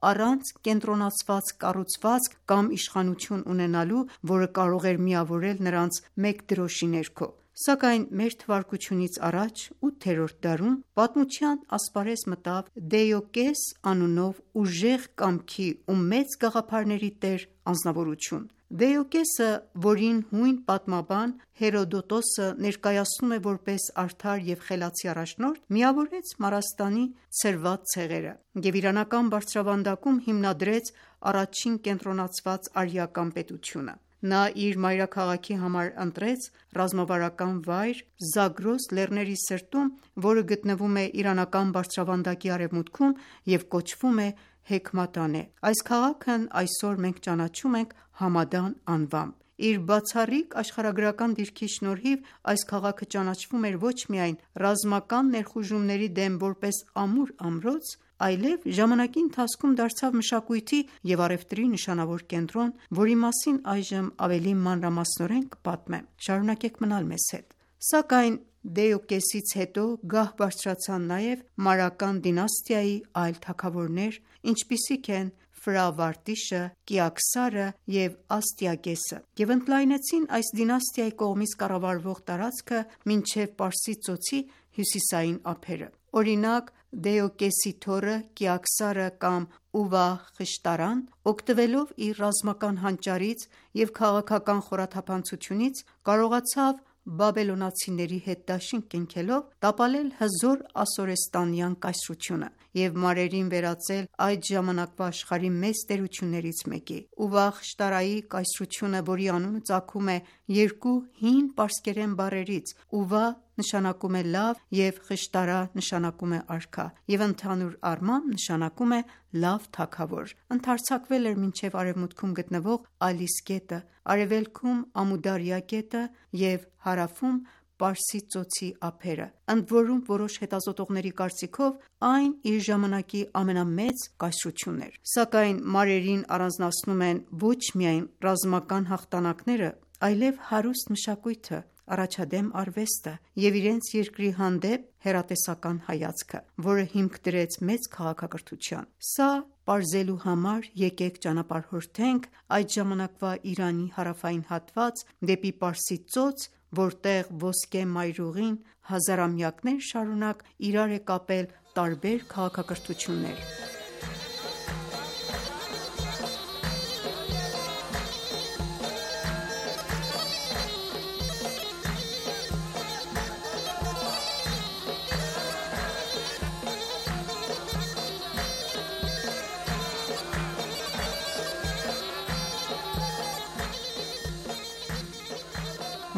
առանց կենտրոնացված կառուցվածք կամ իշխանություն ունենալու, որը կարող էր միավորել նրանց մեկ դրոշի ներքո։ Սակայն մ.թ.ա. 8-րդ դարում պատմության ասպարեզ մտավ Դեյոկես անունով ուժեղ կամքի ու մեծ գաղափարների տեր անձնավորություն։ Դեյոկեսը, որին հույն պատմաբան Հերոդոտոսը ներկայացնում է որպես արդար և խելացի առաջնորդ, միավորեց Մարաստանի ցրված ցեղերը և իրանական բարձրավանդակում հիմնադրեց առաջին կենտրոնացված արիական պետությունը։ Նա իր մայրաքաղաքի համար ընտրեց ռազմավարական վայր Զագրոս լեռների սրտում, որը գտնվում է իրանական բարձրավանդակի արևմուտքում և կոչվում է Հեքմատանե։ Այս քաղաքն այսօր մենք ճանաչում ենք Համադան անվամբ։ Իր բացառիկ աշխարհագրական դիրքի շնորհիվ այս քաղաքը ճանաչվում էր ոչ միայն ռազմական ներխուժումների դեմ որպես ամուր ամրոց, այլև ժամանակի ընթացքում դարձավ մշակույթի և առևտրի նշանավոր կենտրոն, որի մասին այժմ ավելի մանրամասնորեն կպատմեմ։ Շարունակեք մնալ մեզ հետ։ Սակայն Դեյոկեսից հետո գահ բարձրացան նաև Մարական դինաստիայի այլ թագավորներ, ինչպիսիք են Ֆրավարտիշը, Կիաքսարը և Աստիագեսը, և ընդլայնեցին այս դինաստիայի կողմից կառավարվող տարածքը մինչև Պարսից ծոցի հյուսիսային ափերը։ Օրինակ, Դեյոկեսի թոռը Կիաքսարը կամ Ուվահ խշտարան, օգտվելով իր ռազմական հանճարից և քաղաքական խորաթափանցությունից, կարողացավ բաբելոնացիների հետ դաշինք կնքելով տապալել հզոր ասորեստանյան կայսրությունը և մարերին վերածել այդ ժամանակվա աշխարհի մեծ տերություններից մեկի։ Ուվահ խշտարայի կայսրությունը, որի անունը ծագում է երկու հին պարսկերեն բառերից՝ Ուվահ նշանակում է լավ և խշտարա նշանակում է արքա, և ընդհանուր առմամբ նշանակում է լավ թագավոր, ընդարձակվել էր մինչև արևմուտքում գտնվող Ալիս գետը, արևելքում Ամուդարյա գետը և հարավում Պարսից ծոցի ափերը, ընդորում որոշ հետազոտողների կարծիքով այն իր ժամանակի ամենամեծ կայսրությունն էր։ Սակայն մարերին առանձնացնում են ոչ միայն ռազմական հաղթանակները, այլև հարուստ մշակույթը, առաջադեմ արվեստը և իրենց երկրի հանդեպ հեռատեսական հայացքը, որը հիմք դրեց մեծ քաղաքակրթության։ Սա պարզելու համար եկեք ճանապարհորդենք այդ ժամանակվա Իրանի հարավային հատված դեպի Պարսից ծոց, որտեղ ոսկե մայրուղին հազարամյակներ շարունակ իրար է կապել տարբեր քաղաքակրթություններ։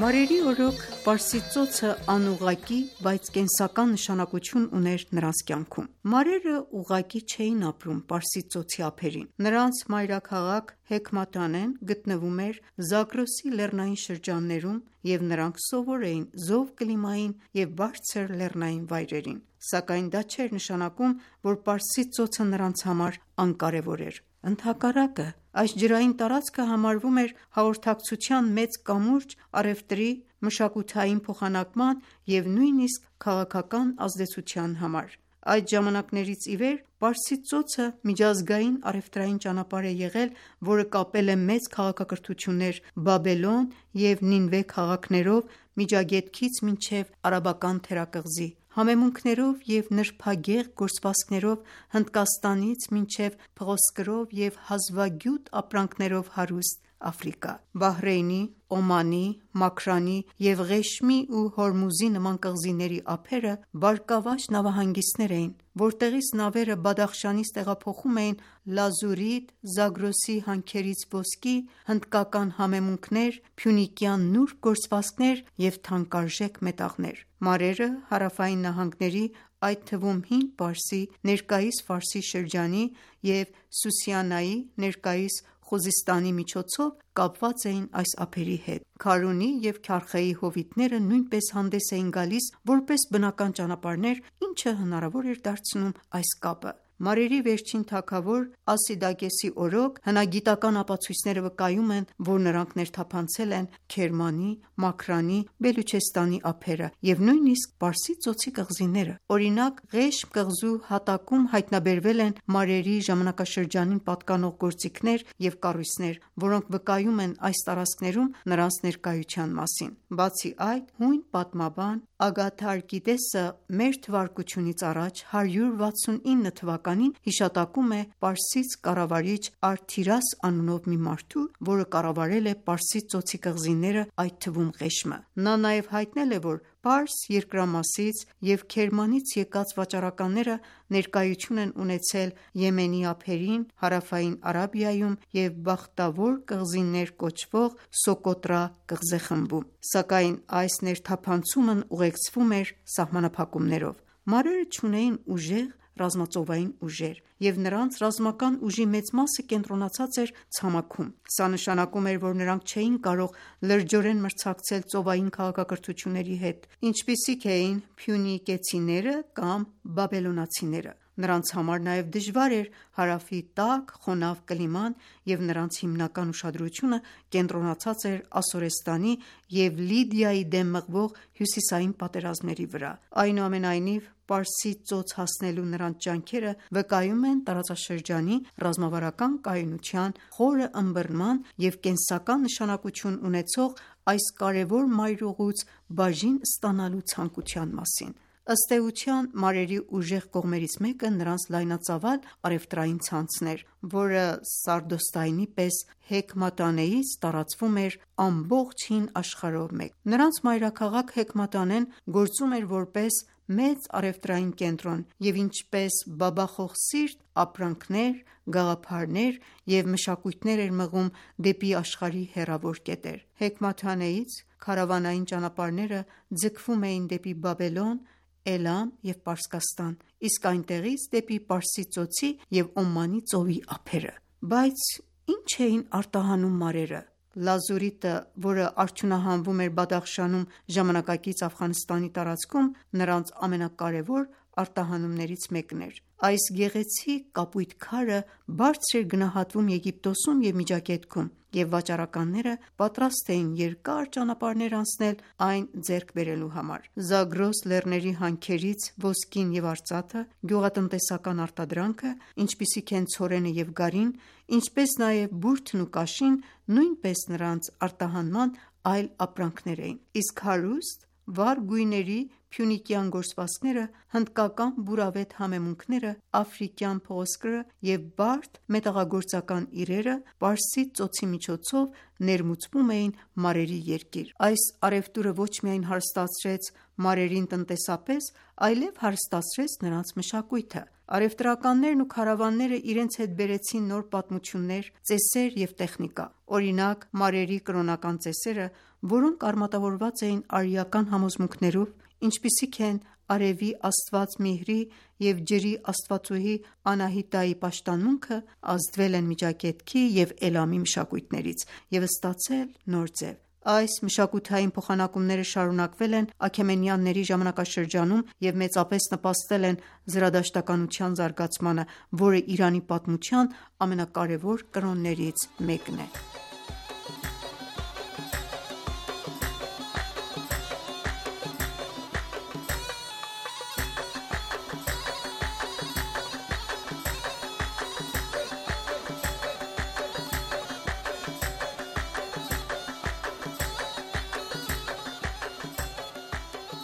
Մարերի օրոք Պարսից ծոցը անուղղակի, բայց կենսական նշանակություն ուներ նրանց կյանքում։ Մարերը ուղղակի չէին ապրում Պարսից ծոցի ափերին։ Նրանց մայրաքաղաք Հեքմատանեն գտնվում էր Զագրոսի լեռնային շրջաններում, և նրանք սովոր էին զով կլիմային և բարձր լեռնային վայրերին։ Սակայն դա չէր նշանակում, որ Պարսից ծոցը նրանց համար անկարևոր էր։ Ընդհակառակը, այս ջրային տարածքը համարվում էր հաղորդակցության մեծ կամուրջ առևտրի, մշակութային փոխանակման և նույնիսկ քաղաքական ազդեցության համար։ Այդ ժամանակներից ի վեր Պարսից ծոցը միջազգային առևտրային ճանապարհ է եղել, որը կապել է մեծ քաղաքակրթություններ Բաբելոն և Նինվե քաղաքներով Միջագետքից մինչև Արաբական թերակղզի, համեմունքներով և նրբագեղ գործվածքներով Հնդկաստանից մինչև փղոսկրով և հազվագյուտ ապրանքներով հարուստ Աֆրիկա։ Բահրեյնի, Օմանի, Մաքրանի և Ղեշմի ու Հորմուզի նման կղզիների ափերը բարգավաճ նավահանգիստներ էին, որտեղից նավերը Բադախշանից տեղափոխում էին լազուրիտ, Զագրոսի հանքերից ոսկի, հնդկական համեմունքներ, փյունիկյան նուրբ գործվածքներ և թանկարժեք մետաղներ։ Մարերը հարավային նահանգների, այդ թվում Հինդ Պարսի (ներկայիս Ֆարսի շրջանի) և Սուսյանայի (ներկայիս Խուզստանի) միջոցով կապված էին այս ափերի հետ։ Քարունի և Քարխեի հովիտները նույնպես հանդես էին գալիս որպես բնական ճանապարհներ, ինչը հնարավոր էր դարձնում այս կապը։ Մարերի վերջին թագավոր Ասիդակեսի օրոք հնագիտական ապացույցները վկայում են, որ նրանք ներթափանցել են Քերմանի, Մաքրանի, Բելուչեստանի ափերը և նույնիսկ Պարսից ծոցի կղզիները: Օրինակ, Ղեշմ կղզու հատակում հայտնաբերվել են մարերի ժամանակաշրջանին պատկանող գործիքներ և կառույցներ, որոնք վկայում են այս տարածքներում նրանց ներկայության մասին: Բացի այդ, հույն պատմաբան Ագաթարկիդեսը մ.թ.ա. 169 թվականին հիշատակում է պարսից կառավարիչ Արթիրաս անունով մի մարդու, որը կառավարել է Պարսից ծոցի կղզիները, այդ թվում Ղեշմը: Նա նաև հայտնել է, որ Պարս երկրամասից և Քերմանից եկած վաճառականները ներկայություն են ունեցել Եմենի ափերին, հարավային Արաբիայում և Բախտավոր կղզիներ կոչվող Սոկոտրա կղզեխմբում: Սակայն այս ներթափանցումն ուղեկցվում էր սահմանափակումներով: Մարերը չունեին ուժեղ ռազմածովային ուժեր, և նրանց ռազմական ուժի մեծ մասը կենտրոնացած էր ցամաքում: Սա նշանակում էր, որ նրանք չէին կարող լրջորեն մրցակցել ծովային քաղաքակրթությունների հետ, ինչպիսիք էին փյունիկեցիները կամ բաբելոնացիները: Նրանց համար նաև դժվար էր հարավի տաք, խոնավ կլիման և նրանց հիմնական ուշադրությունը կենտրոնացած էր Ասորեստանի և Լիդիայի դեմ մղվող հյուսիսային պատերազմների վրա: Այնուամենայնիվ, Պարսից ծոց հասնելու նրանց ջանքերը վկայում են տարածաշրջանի ռազմավարական կայունության, խորը ըմբռնման և կենսական նշանակություն ունեցող այս կարևոր մայրուղուց բաժին ստանալու ցանկության մասին: Ըստ էության, մարերի ուժեղ կողմերից մեկը նրանց լայնածավալ առևտրային ցանցն էր, որը Սարդոստայնի պես Հեքմատանեից տարածվում էր ամբողջ հին աշխարհով մեկ: Նրանց մայրաքաղաք Հեքմատանեն գործում էր որպես մեծ առևտրային կենտրոն և ինչպես բաբախող սիրտ ապրանքներ, գաղափարներ և մշակույթներ էր մղում դեպի աշխարհի հեռավոր կետեր: Հեքմաթանեից քարավանային ճանապարհները ձգվում էին դեպի Բաբելոն, Էլամ և Պարսկաստան, իսկ այնտեղից դեպի Պարսից ծոցի և Օմանի ծովի ափերը: Բայց ի՞նչ էին արտահանում մարերը: Լազուրիտը, որը արդյունահանվում էր Բադախշանում ժամանակակից Աֆղանստանի տարածքում, նրանց ամենակարևոր արտահանումներից մեկն էր: Այս գեղեցիկ կապույտ քարը բարձր էր գնահատվում Եգիպտոսում և Միջագետքում, և վաճառականները պատրաստ էին երկար ճանապարհներ անցնել այն ձեռք բերելու համար: Զագրոս լեռների հանքերից ոսկին և արծաթը, գյուղատնտեսական արտադրանքը, ինչպիսիք են ցորենը և գարին, ինչպես նաև բուրդն ու կաշին նույնպես նրանց արտահանման այլ ապրանքներ էին: Իսկ հարուստ, վառ գույների փյունիկյան գործվածքները, հնդկական բուրավետ համեմունքները, աֆրիկյան փղոսկրը և բարդ մետաղագործական իրերը Պարսից ծոցի միջոցով ներմուծվում էին մարերի երկիր: Այս առևտուրը ոչ միայն հարստացրեց մարերին տնտեսապես, այլև հարստացրեց նրանց մշակույթը: Առևտրականներն ու քարավանները իրենց հետ բերեցին նոր պատմություններ, ծեսեր և տեխնիկա: Օրինակ, մարերի կրոնական ծեսերը, որոնք արմատավորված էին արիական համոզմունքներով, ինչպիսիք են արևի աստված Միհրի և ջրի աստվածուհի Անահիտայի պաշտամունքը, ազդվել են Միջագետքի և Էլամի մշակույթներից և ստացել նոր ձև: Այս մշակութային փոխանակումները շարունակվել են Աքեմենյանների ժամանակաշրջանում և մեծապես նպաստել են զրադաշտականության զարգացմանը, որը Իրանի պատմության ամենակարևոր կրոններից մեկն է: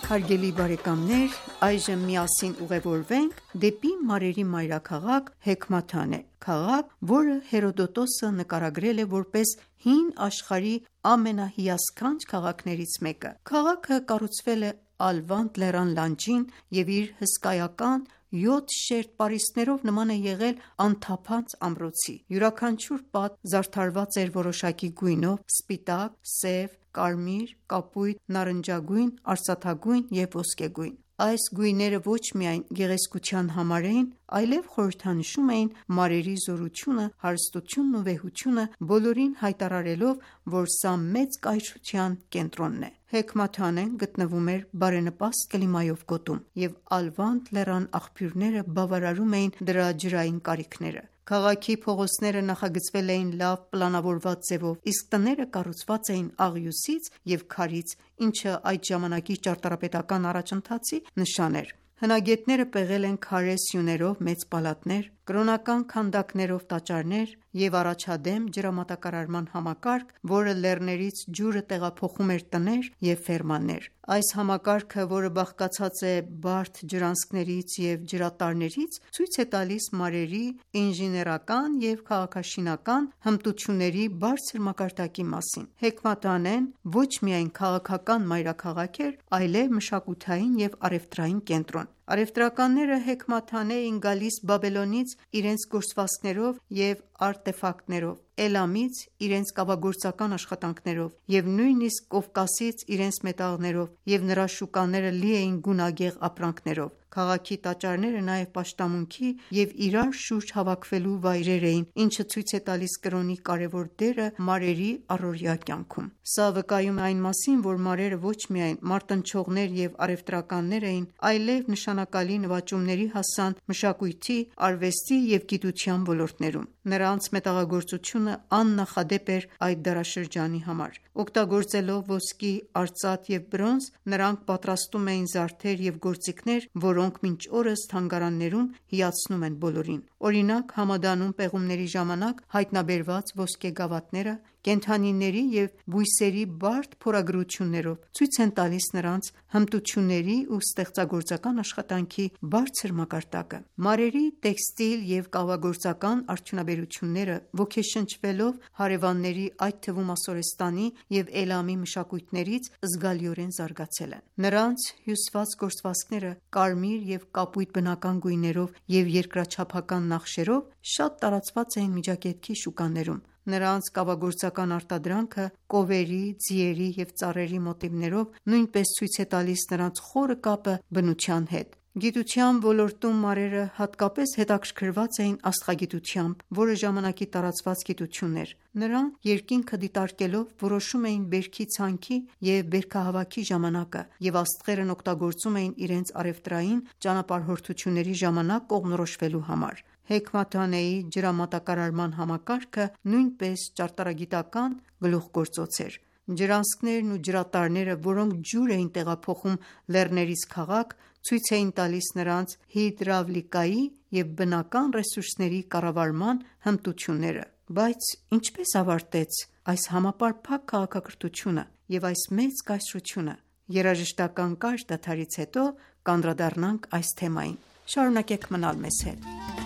Հարգելի բարեկամներ, այժմ միասին ուղևորվենք դեպի մարերի մայրաքաղաք Հեքմաթանե, քաղաք, որը Հերոդոտոսը նկարագրել է որպես հին աշխարհի ամենահիասքանչ քաղաքներից մեկը: Քաղաքը կառուցվել է Ալվանդ լեռան լանջին և իր հսկայական 7 շերտ պարիսպներով նման է եղել անթափանց ամրոցի: Յուրաքանչյուր պատ զարդարված էր որոշակի գույնով՝ սպիտակ, սև, կարմիր, կապույտ, նարնջագույն, արծաթագույն և ոսկեգույն: Այս գույները ոչ միայն գեղեցկության համար էին, այլև խորհրդանշում էին մարերի զորությունը, հարստությունն ու վեհությունը, բոլորին հայտարարելով, որ սա մեծ կայսրության կենտրոնն է։ Հեքմաթանեն գտնվում էր բարենպաստ կլիմայով գոտում, և Ալվանդ լեռան աղբյուրները բավարարում էին դրա ջրային կարիքները։ Քաղաքի փողոցները նախագծվել էին լավ պլանավորված ձևով, իսկ տները կառուցված էին աղյուսից և քարից, ինչը այդ ժամանակի ճարտարապետական առաջընթացի նշան էր։ Հնագետները պեղել են քարե սյուներով մեծ պալատներ, կրոնական քանդակներով տաճարներ և առաջադեմ ջրամատակարարման համակարգ, որը լեռներից ջուրը տեղափոխում էր տներ և ֆերմաներ։ Այս համակարգը, որը բաղկացած է բարդ ջրանցքներից և ջրատարներից, ցույց է տալիս մարերի ինժեներական և քաղաքաշինական հմտությունների բարձր մակարդակի մասին։ Հեքմաթանեն ոչ միայն քաղաքական մայրաքաղաք էր, այլև մշակութային և առևտրային կենտրոն։ Առևտրականները Հեքմաթանե էին գալիս Բաբելոնից իրենց գործվածքներով և արտեֆակտներով, Էլամից իրենց կավագործական աշխատանքներով և նույնիսկ Կովկասից իրենց մետաղներով, և նրա շուկաները լի էին գունագեղ ապրանքներով։ Քաղաքի տաճարները նաև պաշտամունքի և իրար շուրջ հավաքվելու վայրեր էին, ինչը ցույց է տալիս կրոնի կարևոր դերը մարերի առօրյա կյանքում։ Սա վկայում է այն մասին, որ մարերը ոչ միայն մարտնչողներ և առևտրականներ էին, այլև նշանակալի նվաճումների հասան մշակույթի, արվեստի և գիտության ոլորտներում։ Նրանց մետաղագործությունը աննախադեպ էր այդ դարաշրջանի համար։ Օգտագործելով ոսկի, արծաթ և բրոնզ՝ նրանք պատրաստում էին զարդեր և գործիքներ, որոնք մինչ օրս թանգարաններում հիացնում են բոլորին։ Օրինակ, Համադանում պեղումների ժամանակ հայտնաբերված ոսկե գավաթները կենդանիների և բույսերի բարդ փորագրություններով ցույց են տալիս նրանց հմտությունների ու ստեղծագործական աշխատանքի բարձր մակարդակը։ Մարերի տեքստիլ և կավագործական արդյունաբերությունները ոգեշնչվելով հարևանների, այդ թվում Ասորեստանի և Էլամի մշակույթներից, զգալիորեն զարգացել են։ Նրանց հյուսված գործվածքները կարմիր և կապույտ բնական գույներով և երկրաչափական նախշերով շատ տարածված էին Միջագետքի շուկաներում։ Նրանց կավագործական արտադրանքը կովերի, ձիերի և ծառերի մոտիվներով նույնպես ցույց է տալիս նրանց խորը կապը բնության հետ։ Գիտության ոլորտում մարերը հատկապես հետաքրքրված էին աստղագիտությամբ, որը ժամանակի տարածված գիտություն էր։ Նրանք երկինքը դիտարկելով որոշում էին բերքի ցանքի և բերքահավաքի ժամանակը, և աստղերն օգտագործում էին իրենց առևտրային ճանապարհորդությունների ժամանակ կողմնորոշվելու համար։ Հեքմաթանեի ջրամատակարարման համակարգը նույնպես ճարտարագիտական գլուխգործոց էր։ Ջրանցքներն ու ջրատարները, որոնք ջուր էին տեղափոխում լեռներից քաղաք, ցույց էին տալիս նրանց հիդրավլիկայի և բնական ռեսուրսների կառավարման հմտությունները։ Բայց ինչպե՞ս ավարտեց այս համապարփակ քաղաքակրթությունը և այս մեծ կայսրությունը։ Երաժշտական կարճ դադարից հետո կանդրադառնանք այս թեմային։ Շարունակեք մնալ մեզ հետ։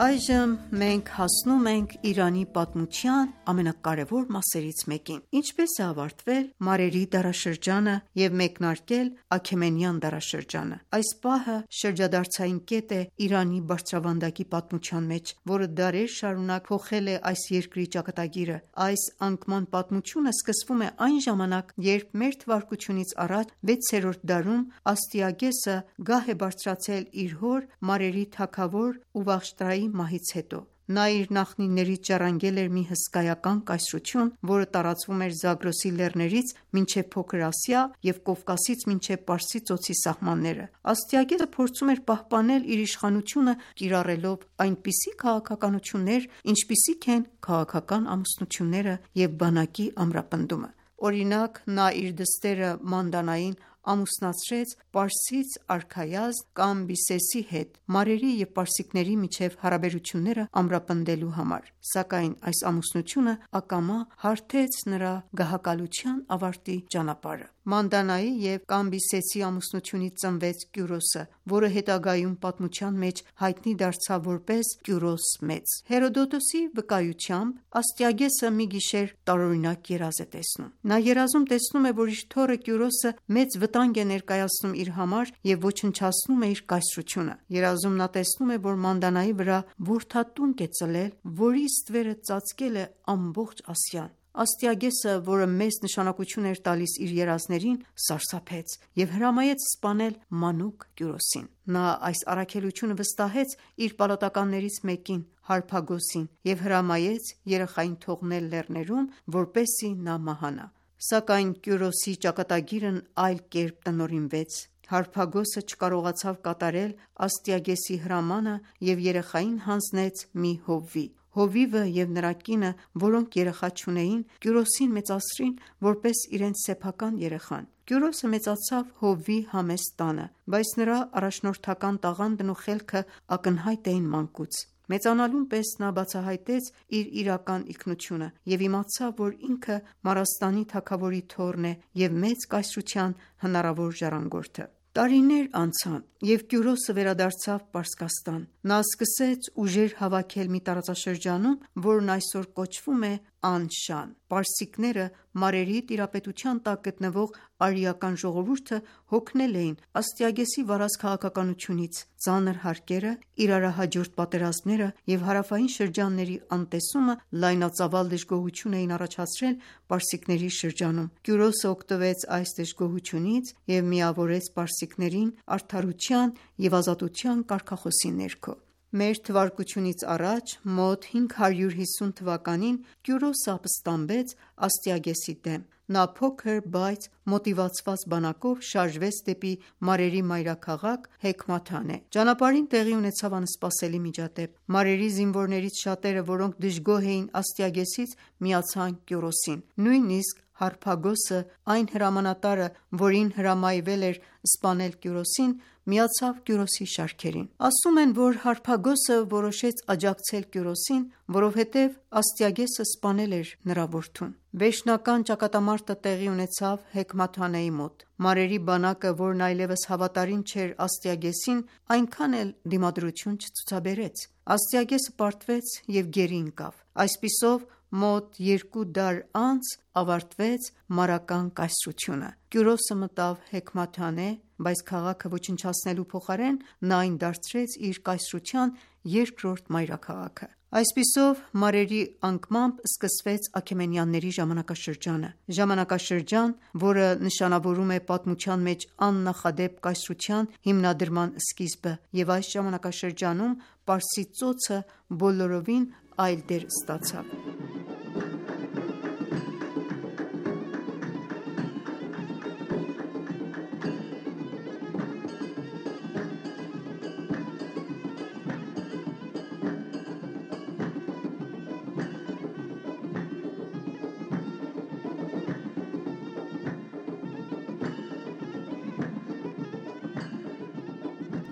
Այժմ մենք հասնում ենք Իրանի պատմության ամենակարևոր մասերից մեկին։ Ինչպե՞ս է ավարտվել մարերի դարաշրջանը և մեկնարկել Աքեմենյան դարաշրջանը։ Այս պահը շրջադարձային կետ է Իրանի բարձրավանդակի պատմության մեջ, որը դարեր շարունակ փոխել է այս երկրի ճակատագիրը։ Այս անկման պատմությունը սկսվում է այն ժամանակ, երբ մ.թ.ա. 6-րդ դարում Աստիագեսը գահ է բարձրացել իր հոր, մարերի թագավոր Ուվաղշտրայի մահից հետո։ Նա իր նախնիներից ժառանգել էր մի հսկայական կայսրություն, որը տարածվում էր Զագրոսի լեռներից մինչև Փոքր Ասիա և Կովկասից մինչև Պարսից ծոցի սահմանները։ Աստիագեսը փորձում էր պահպանել իր իշխանությունը՝ կիրառելով այնպիսի քաղաքականություններ, ինչպիսիք են քաղաքական ամուսնությունները և բանակի ամրապնդումը։ Օրինակ, նա իր դստերը Մանդանային ամուսնացրեց պարսից արքայազն Կամբիսեսի հետ՝ մարերի և պարսիկների միջև հարաբերությունները ամրապնդելու համար։ Սակայն այս ամուսնությունը ակամա հարթեց նրա գահակալության ավարտի ճանապարհը։ Մանդանայի և Կամբիսեսի ամուսնությունից ծնվեց Կյուրոսը, որը հետագայում պատմության մեջ հայտնի դարձավ որպես Կյուրոս Մեծ։ Հերոդոտոսի վկայությամբ Աստիագեսը մի գիշեր տարօրինակ երազ է տեսնում։ Նա երազում տեսնում է, որ իր թոռը Կյուրոսը մեծ վտանգ է ներկայացնում իր համար և ոչնչացնում է իր կայսրությունը։ Երազում նա տեսնում է, որ Մանդանայի վրա որդատունկ է ծլել, որի ստվերը ծածկել է ամբողջ Ասիան։ Աստիագեսը, որը մեծ նշանակություն էր տալիս իր երազներին, սարսափեց և հրամայեց սպանել մանուկ Կյուրոսին։ Նա այս առաքելությունը վստահեց իր պալատականներից մեկին՝ Հարփագոսին և հրամայեց երեխային թողնել լեռներում, որպեսզի նա մահանա։ Սակայն Կյուրոսի ճակատագիրն այլ կերպ տնօրինվեց։ Հարփագոսը չկարողացավ կատարել Աստիագեսի հրամանը և երեխային հանձնեց մի հովվի։ Հովիվը և նրա կինը, որոնք երեխա չունեին, Կյուրոսին մեծացրին որպես իրենց սեփական երեխան։ Կյուրոսը մեծացավ հովվի համեստ տանը, բայց նրա առաջնորդական տաղանդն ու խելքը ակնհայտ էին մանկուց։ Մեծանալուն պես նա բացահայտեց իր իրական ինքնությունը և իմացավ, որ ինքը Մարաստանի թագավորի թոռն է և մեծ կայսրության հնարավոր ժառանգորդը։ Տարիներ անցան, և Կյուրոսը վերադարձավ Պարսկաստան։ Նա սկսեց ուժեր հավաքել մի տարածաշրջանում, որն այսօր կոչվում է Անշան։ Պարսիկները մարերի տիրապետության տակ գտնվող արիական ժողովուրդը հոգնել էին Աստիագեսի վառած քաղաքականությունից։ Ծանր հարկերը, իրարահաջորդ պատերազմները և հարավային շրջանների անտեսումը լայնածավալ դժգոհություն էին առաջացրել պարսիկների շրջանում։ Կյուրոսը օգտվեց այս դժգոհությունից և միավորեց պարսիկներին արդարության և ազատության կարգախոսի ներքո։ Մ.թ.ա. մոտ 550 թվականին Կյուրոսը ապստամբեց Աստիագեսի դեմ։ Նա փոքր, բայց մոտիվացված բանակով շարժվեց դեպի մարերի մայրաքաղաք Հեքմաթանե։ Ճանապարհին տեղի ունեցավ անսպասելի միջադեպ։ Մարերի զինվորներից շատերը, որոնք դժգոհ էին Աստիագեսից, միացան Կյուրոսին։ Նույնիսկ Հարփագոսը, այն հրամանատարը, որին հրամայվել էր սպանել Կյուրոսին, միացավ Կյուրոսի շարքերին։ Ասում են, որ Հարփագոսը որոշեց աջակցել Կյուրոսին, որովհետև Աստիագեսը սպանել էր նրա որդուն։ Վերջնական ճակատամարտը տեղի ունեցավ Հեքմաթանեի մոտ։ Մարերի բանակը, որն այլևս հավատարիմ չէր Աստիագեսին, այնքան էլ դիմադրություն չցուցաբերեց։ Աստիագեսը պարտվեց և գերի ընկավ։ Այսպիսով մոտ 2 դար անց ավարտվեց մարական կայսրությունը։ Կյուրոսը մտավ Հեքմաթանե, բայց քաղաքը ոչնչացնելու փոխարեն նա այն դարձրեց իր կայսրության երկրորդ մայրաքաղաքը։ Այսպիսով մարերի անկմամբ սկսվեց Աքեմենյանների ժամանակաշրջանը։ Ժամանակաշրջան, որը նշանավորում է պատմության մեջ աննախադեպ կայսրության հիմնադրման սկիզբը, և այս ժամանակաշրջանում Պարսից ծոցը բոլորովին այլ դեր ստացավ։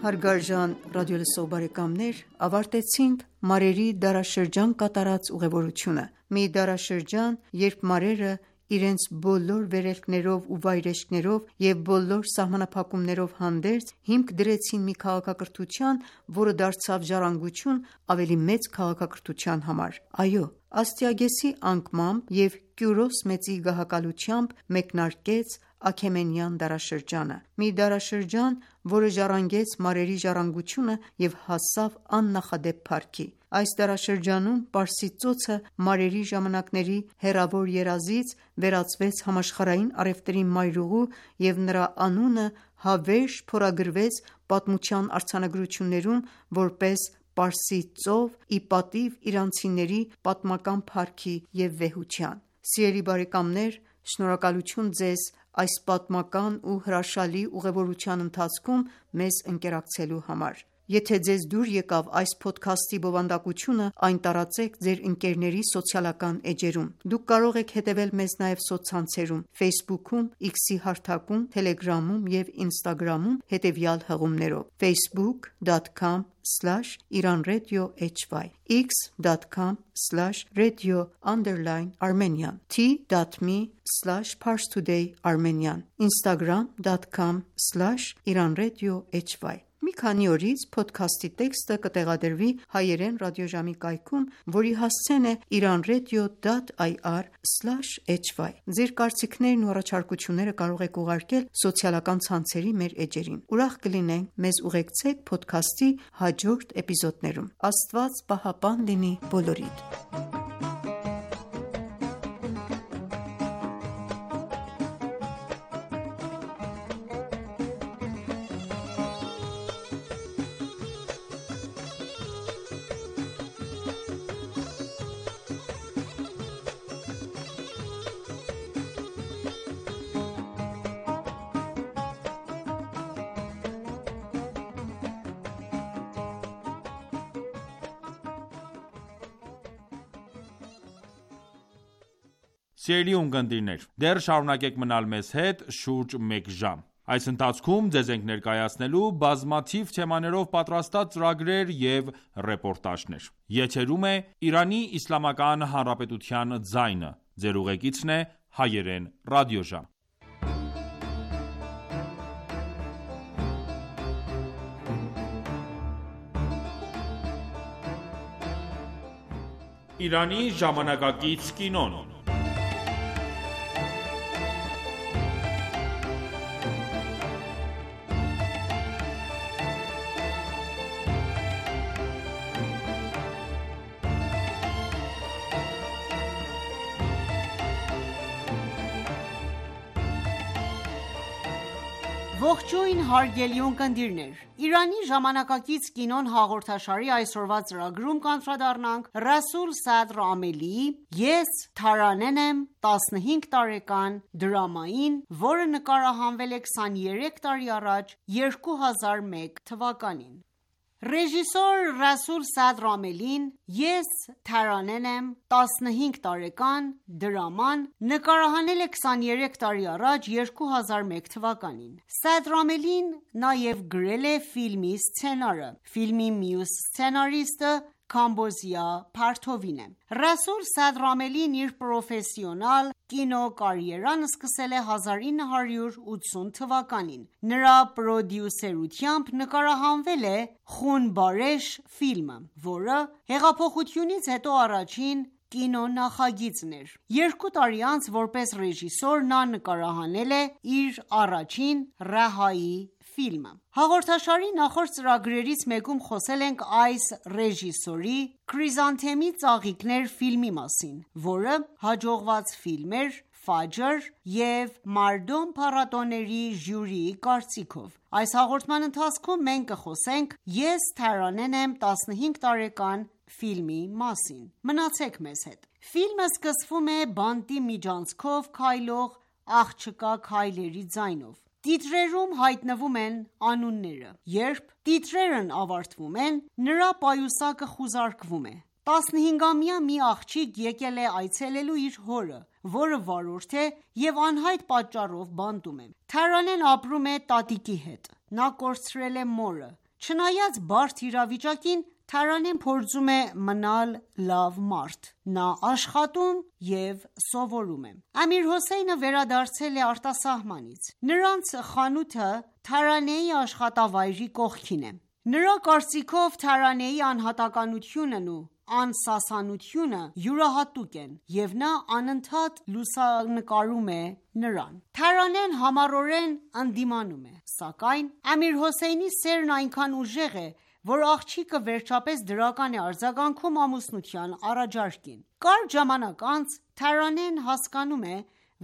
Հարգարժան ռադիոլսող բարեկամներ, ավարտեցինք մարերի դարաշրջան կատարած ուղևորությունը։ Մի դարաշրջան, երբ մարերը իրենց բոլոր վերելքներով ու վայրէջքներով և բոլոր սահմանափակումներով հանդերձ հիմք դրեցին մի քաղաքակրթության, որը դարձավ ժառանգություն ավելի մեծ քաղաքակրթության համար։ Այո, Աստիագեսի անկմամբ և Կյուրոս Մեծի գահակալությամբ մեկնարկեց Աքեմենյան դարաշրջանը։ Մի դարաշրջան, որը ժառանգեց մարերի ժառանգությունը և հասավ աննախադեպ փառքի։ Այս դարաշրջանում Պարսից ծոցը մարերի ժամանակների հեռավոր երազից վերածվեց համաշխարհային առևտրի մայրուղու և նրա անունը հավերժ փորագրվեց պատմության արձանագրություններում որպես Պարսից ծով՝ ի պատիվ իրանցիների պատմական փառքի և վեհության։ Սիրելի բարեկամներ, շնորհակալություն ձեզ այս պատմական ու հրաշալի ուղևորության ընթացքում մեզ ընկերակցելու համար։ Եթե ձեզ դուր եկավ այս փոդքասթի բովանդակությունը, այն տարածեք ձեր ընկերների սոցիալական էջերում։ Դուք կարող եք հետևել մեզ նաև սոցցանցերում Facebook-ում, X-ի հարթակում, Telegram-ում և Instagram-ում հետևյալ հղումներով՝ facebook.com/iranradio_hy, x.com/radio_Armenian, t.me/parstoday_armenian, instagram.com/iranradio_hy Մի քանի օրից փոդքասթի տեքստը կտեղադրվի հայերեն ռադիոժամի կայքում, որի հասցեն է iranradio.ir/hy: Ձեր կարծիքներն ու առաջարկությունները կարող եք ուղարկել սոցիալական ցանցերի մեր էջերին։ Ուրախ կլինենք մեզ ուղեկցեք փոդքասթի հաջորդ էպիզոդներում։ Աստված պահապան լինի բոլորիդ։ Սիրելի ունկնդիրներ, դեռ շարունակեք մնալ մեզ հետ շուրջ մեկ ժամ։ Այս ընթացքում ձեզ ենք ներկայացնելու բազմաթիվ թեմաներով պատրաստած ծրագրեր և ռեպորտաժներ։ Եթերում է Իրանի Իսլամական Հանրապետության ձայնը։ Ձեր ուղեկիցն է հայերեն ռադիոժամ։ Իրանի ժամանակակից կինոն։ Ողջույն հարգելի ունկնդիրներ, Իրանի ժամանակակից կինոն հաղորդաշարի այսօրվա ծրագրում կանդրադառնանք Ռասուլ Սադր Ամելիի «Ես Թարանեն եմ» 15 տարեկան դրամային, որը նկարահանվել է 23 տարի առաջ 2001 թվականին։ Ռեժիսոր Ռասուլ Սադր Ամելին «Ես Թարանեն եմ» 15 տարեկան դրաման նկարահանել է 23 տարի առաջ 2001 թվականին։ Սադր Ամելին նաև գրել է ֆիլմի սցենարը։ Ֆիլմի մյուս սցենարիստը Քամբոզիա Փարթովին է։ Ռասուլ Սադր Ամելին իր պրոֆեսիոնալ կինոկարիերան սկսել է 1980 թվականին։ Նրա պրոդյուսերությամբ նկարահանվել է «Խուն Բարեշ» ֆիլմը, որը հեղափոխությունից հետո առաջին կինոնախագիծն էր։ 2 տարի անց որպես ռեժիսոր նա նկարահանել է իր առաջին «Ռահայի» ֆիլմը։ Հաղորդաշարի նախորդ ծրագրերից մեկում խոսել ենք այս ռեժիսորի «Քրիզանթեմի ծաղիկներ» ֆիլմի մասին, որը հաջողված ֆիլմ էր «Ֆաջր» և «Մարդոմ» փառատոների ժյուրիի կարծիքով։ Այս հաղորդման ընթացքում մենք կխոսենք «Ես Թարանեն եմ» 15 տարեկան ֆիլմի մասին։ Մնացեք մեզ հետ։ Ֆիլմը սկսվում է բանտի միջանցքով քայլող աղջկա քայլերի ձայնով։ Տիտրերում հայտնվում են անունները։ Երբ տիտրերն ավարտվում են, նրա պայուսակը խուզարկվում է։ 15-ամյա մի աղջիկ եկել է այցելելու իր հորը, որը վարորդ է և անհայտ պատճառով բանտում է։ Թարանեն ապրում է տատիկի հետ։ Նա կորցրել է մորը։ Չնայած բարդ իրավիճակին, Թարանեն փորձում է մնալ լավ մարդ։ Նա աշխատում և սովորում է։ Ամիր Հոսեյնը վերադարձել է արտասահմանից։ Նրանց խանութը Թարանեի աշխատավայրի կողքին է։ Նրա կարծիքով Թարանեի անհատականությունն ու անսասանությունը յուրահատուկ են, և նա անընդհատ լուսանկարում է նրան։ Թարանեն համառորեն ընդդիմանում է, սակայն Ամիր Հոսեյնի սերն այնքան ուժեղ է, որ աղջիկը վերջապես դրական է արձագանքում ամուսնության առաջարկին։ Կարճ ժամանակ անց Թարանեն հասկանում է,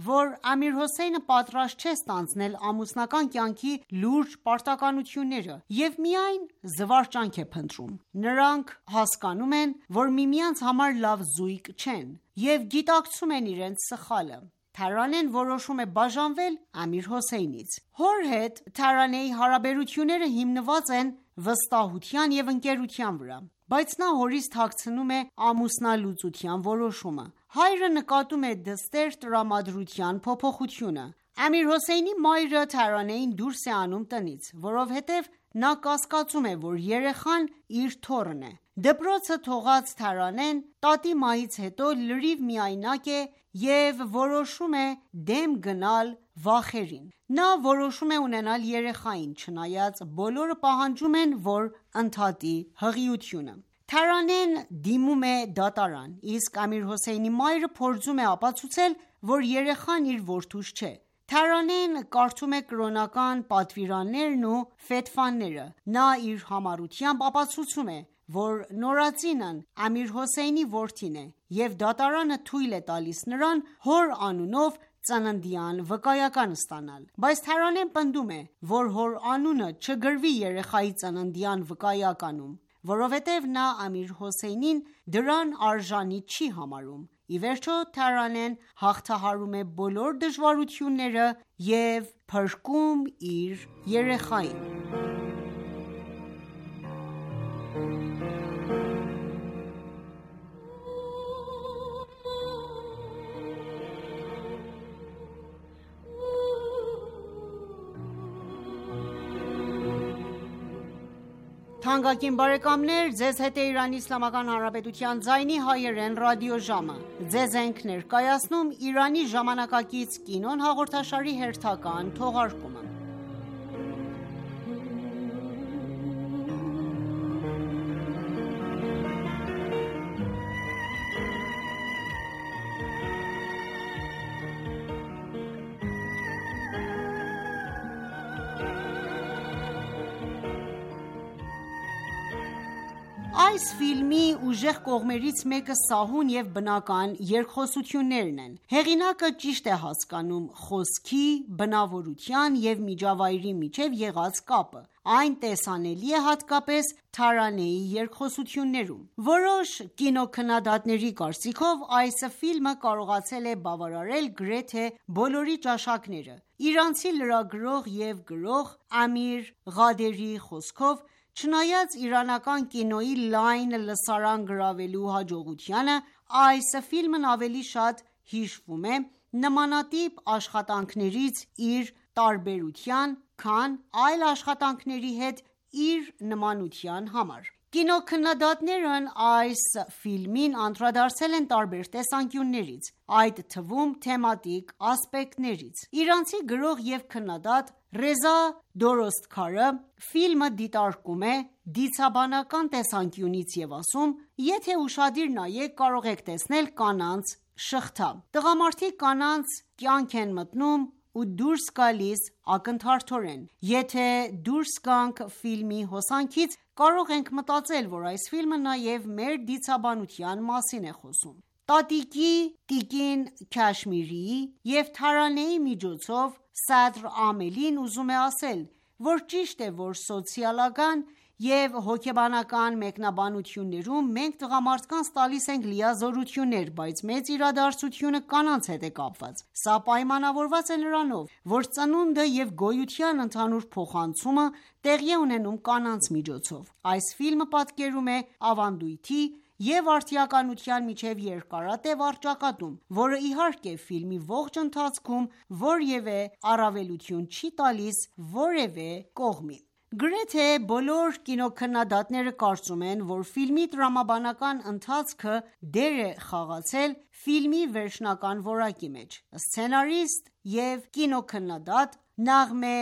որ Ամիր Հոսեյնը պատրաստ չէ ստանձնել ամուսնական կյանքի լուրջ պարտականությունները և միայն զվարճանք է փնտրում։ Նրանք հասկանում են, որ միմյանց համար լավ զույգ չեն և գիտակցում են իրենց սխալը։ Թարանեն որոշում է բաժանվել Ամիր Հոսեյնից։ Հոր հետ Թարանեի հարաբերությունները հիմնված են վստահության և ընկերության վրա, բայց նա հորից թաքցնում է ամուսնալուծության որոշումը։ Հայրը նկատում է դստեր տրամադրության փոփոխությունը։ Ամիր Հոսեյնի մայրը Թարանեին դուրս է անում տնից, որովհետև նա կասկածում է, որ երեխան իր թոռն է։ Դպրոցը թողած Թարանեն տատի մահից հետո լրիվ միայնակ է և որոշում է դեմ գնալ վախերին: Նա որոշում է ունենալ երեխային, չնայած բոլորը պահանջում են, որ ընդհատի հղիությունը: Թարանեն դիմում է դատարան, իսկ Ամիր Հոսեյնի մայրը փորձում է ապացուցել, որ երեխան իր որդուս չէ: Թարանեն կարդում է կրոնական պատվիրաններն ու ֆեթվաները: Նա իր համառությամբ ապացուցում է, որ նորածինն Ամիր Հոսեյնի որդին է և դատարանը թույլ է տալիս նրան հոր անունով ծննդյան վկայական ստանալ: Բայց Թարանեն պնդում է, որ հոր անունը չգրվի երեխայի ծննդյան վկայականում, որովհետև նա Ամիր Հոսեյնին դրան արժանի չի համարում: Ի վերջո Թարանեն հաղթահարում է բոլոր դժվարությունները և փրկում իր երեխային: Այս ֆիլմի ուժեղ կողմերից մեկը սահուն և բնական երկխոսություններն են: Հեղինակը ճիշտ է հասկանում խոսքի, բնավորության և միջավայրի միջև եղած կապը: Այն տեսանելի է հատկապես Թարանեի երկխոսություններում: Որոշ կինոքննադատների կարծիքով, այս ֆիլմը կարողացել է բավարարել գրեթե բոլորի ճաշակները: Իրանցի լրագրող և գրող Ամիր Ղադերի խոսքով, չնայած իրանական կինոյի լայն լսարան գրավելու հաջողությանը, այս ֆիլմն ավելի շատ հիշվում է նմանատիպ աշխատանքներից իր տարբերության, քան այլ աշխատանքների հետ իր նմանության համար: Կինոքննադատներն այս ֆիլմին անդրադարձել են տարբեր տեսանկյուններից, այդ թվում թեմատիկ ասպեկտներից: Իրանցի գրող և քննադատ Ռեզա Դորոստքարը ֆիլմը դիտարկում է դիցաբանական տեսանկյունից և ասում. «Եթե ուշադիր նայեք, կարող եք տեսնել կանանց շղթա: Տղամարդիկ կանանց կյանք են մտնում ու դուրս գալիս ակնթարթորեն: Եթե դուրս գանք ֆիլմի հոսանքից, կարող ենք մտածել, որ այս ֆիլմը նաև մեր դիցաբանության մասին է խոսում»: Տատիկի տիկին Քաշմիրիի և Թարանեի միջոցով Սադր Ամելին ուզում է ասել, որ ճիշտ է, որ սոցիալական և հոգեբանական մեկնաբանություններում մենք տղամարդկանց տալիս ենք լիազորություններ, բայց մեծ իրադարձությունը կանանց հետ է կապված: Սա պայմանավորված է նրանով, որ ծնունդը և գոյության ընդհանուր փոխանցումը տեղի է ունենում կանանց միջոցով: Այս ֆիլմը պատկերում է ավանդույթի և արդիականության միջև երկարատև առճակատում, որը իհարկե ֆիլմի ողջ ընթացքում որևէ առավելություն չի տալիս որևէ կողմի: Գրեթե բոլոր կինոքննադատները կարծում են, որ ֆիլմի տրամաբանական ընթացքը դեր է խաղացել ֆիլմի վերջնական որակի մեջ: Սցենարիստ և կինոքննադատ Նաղմե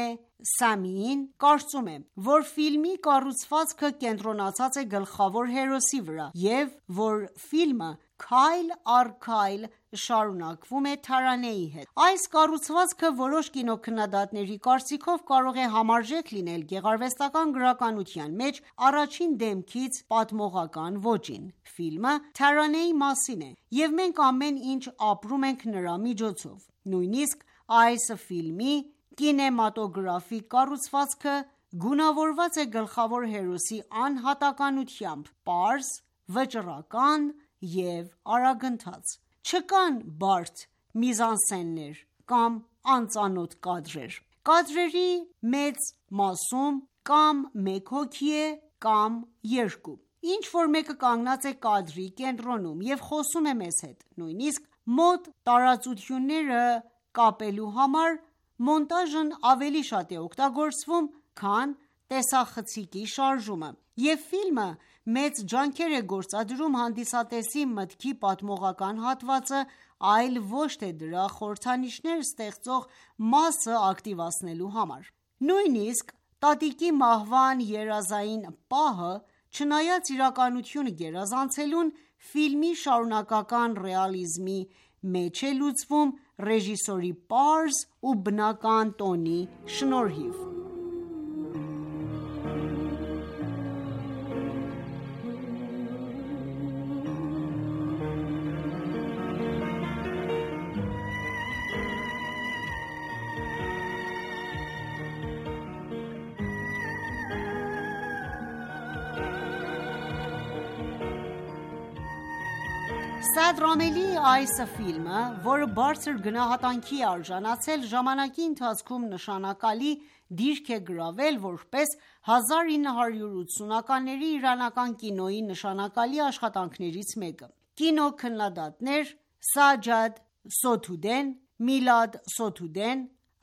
Սամիին կարծում է, որ ֆիլմի կառուցվածքը կենտրոնացած է գլխավոր հերոսի վրա և որ ֆիլմը քայլ առ քայլ շարունակվում է Թարանեի հետ: Այս կառուցվածքը որոշ կինոքննադատների կարծիքով կարող է համարժեք լինել գեղարվեստական գրականության մեջ առաջին դեմքից պատմողական ոճին: Ֆիլմը Թարանեի մասին է և մենք ամեն ինչ ապրում ենք նրա միջոցով: Նույնիսկ այս ֆիլմի կինեմատոգրաֆիկ կառուցվածքը գունավորված է գլխավոր հերոսի անհատականությամբ՝ պարզ, վճռական և արագընթաց: Չկան բարդ միզանսցեններ կամ անծանոթ կադրեր: Կադրերի մեծ մասում կամ մեկ հոգի է կամ երկու: Ինչ-որ մեկը կանգնած է կադրի կենտրոնում և խոսում է մեզ հետ: Նույնիսկ մոտ տարածությունները կապելու համար մոնտաժն ավելի շատ է օգտագործվում, քան տեսախցիկի շարժումը: Եվ ֆիլմը մեծ ջանքեր է գործադրում հանդիսատեսի մտքի պատմողական հատվածը, այլ ոչ թե դրա խորհրդանիշներ ստեղծող մասը ակտիվացնելու համար: Նույնիսկ տատիկի մահվան երազային պահը, չնայած իրականությունը գերազանցելուն, ֆիլմի շարունակական ռեալիզմի մեջ է լուծվում ռեժիսորի պարզ ու բնական տոնի շնորհիվ: Սաադ Ռամելիի այս ֆիլմը, որը բարձր գնահատանքի է արժանացել, ժամանակի ընթացքում նշանակալի դիրք է գրավել որպես 1980-ականների իրանական կինոյի նշանակալի աշխատանքներից մեկը: Կինոքննադատներ Սաջադ Սոթուդեն, Միլադ Սոթուդեն,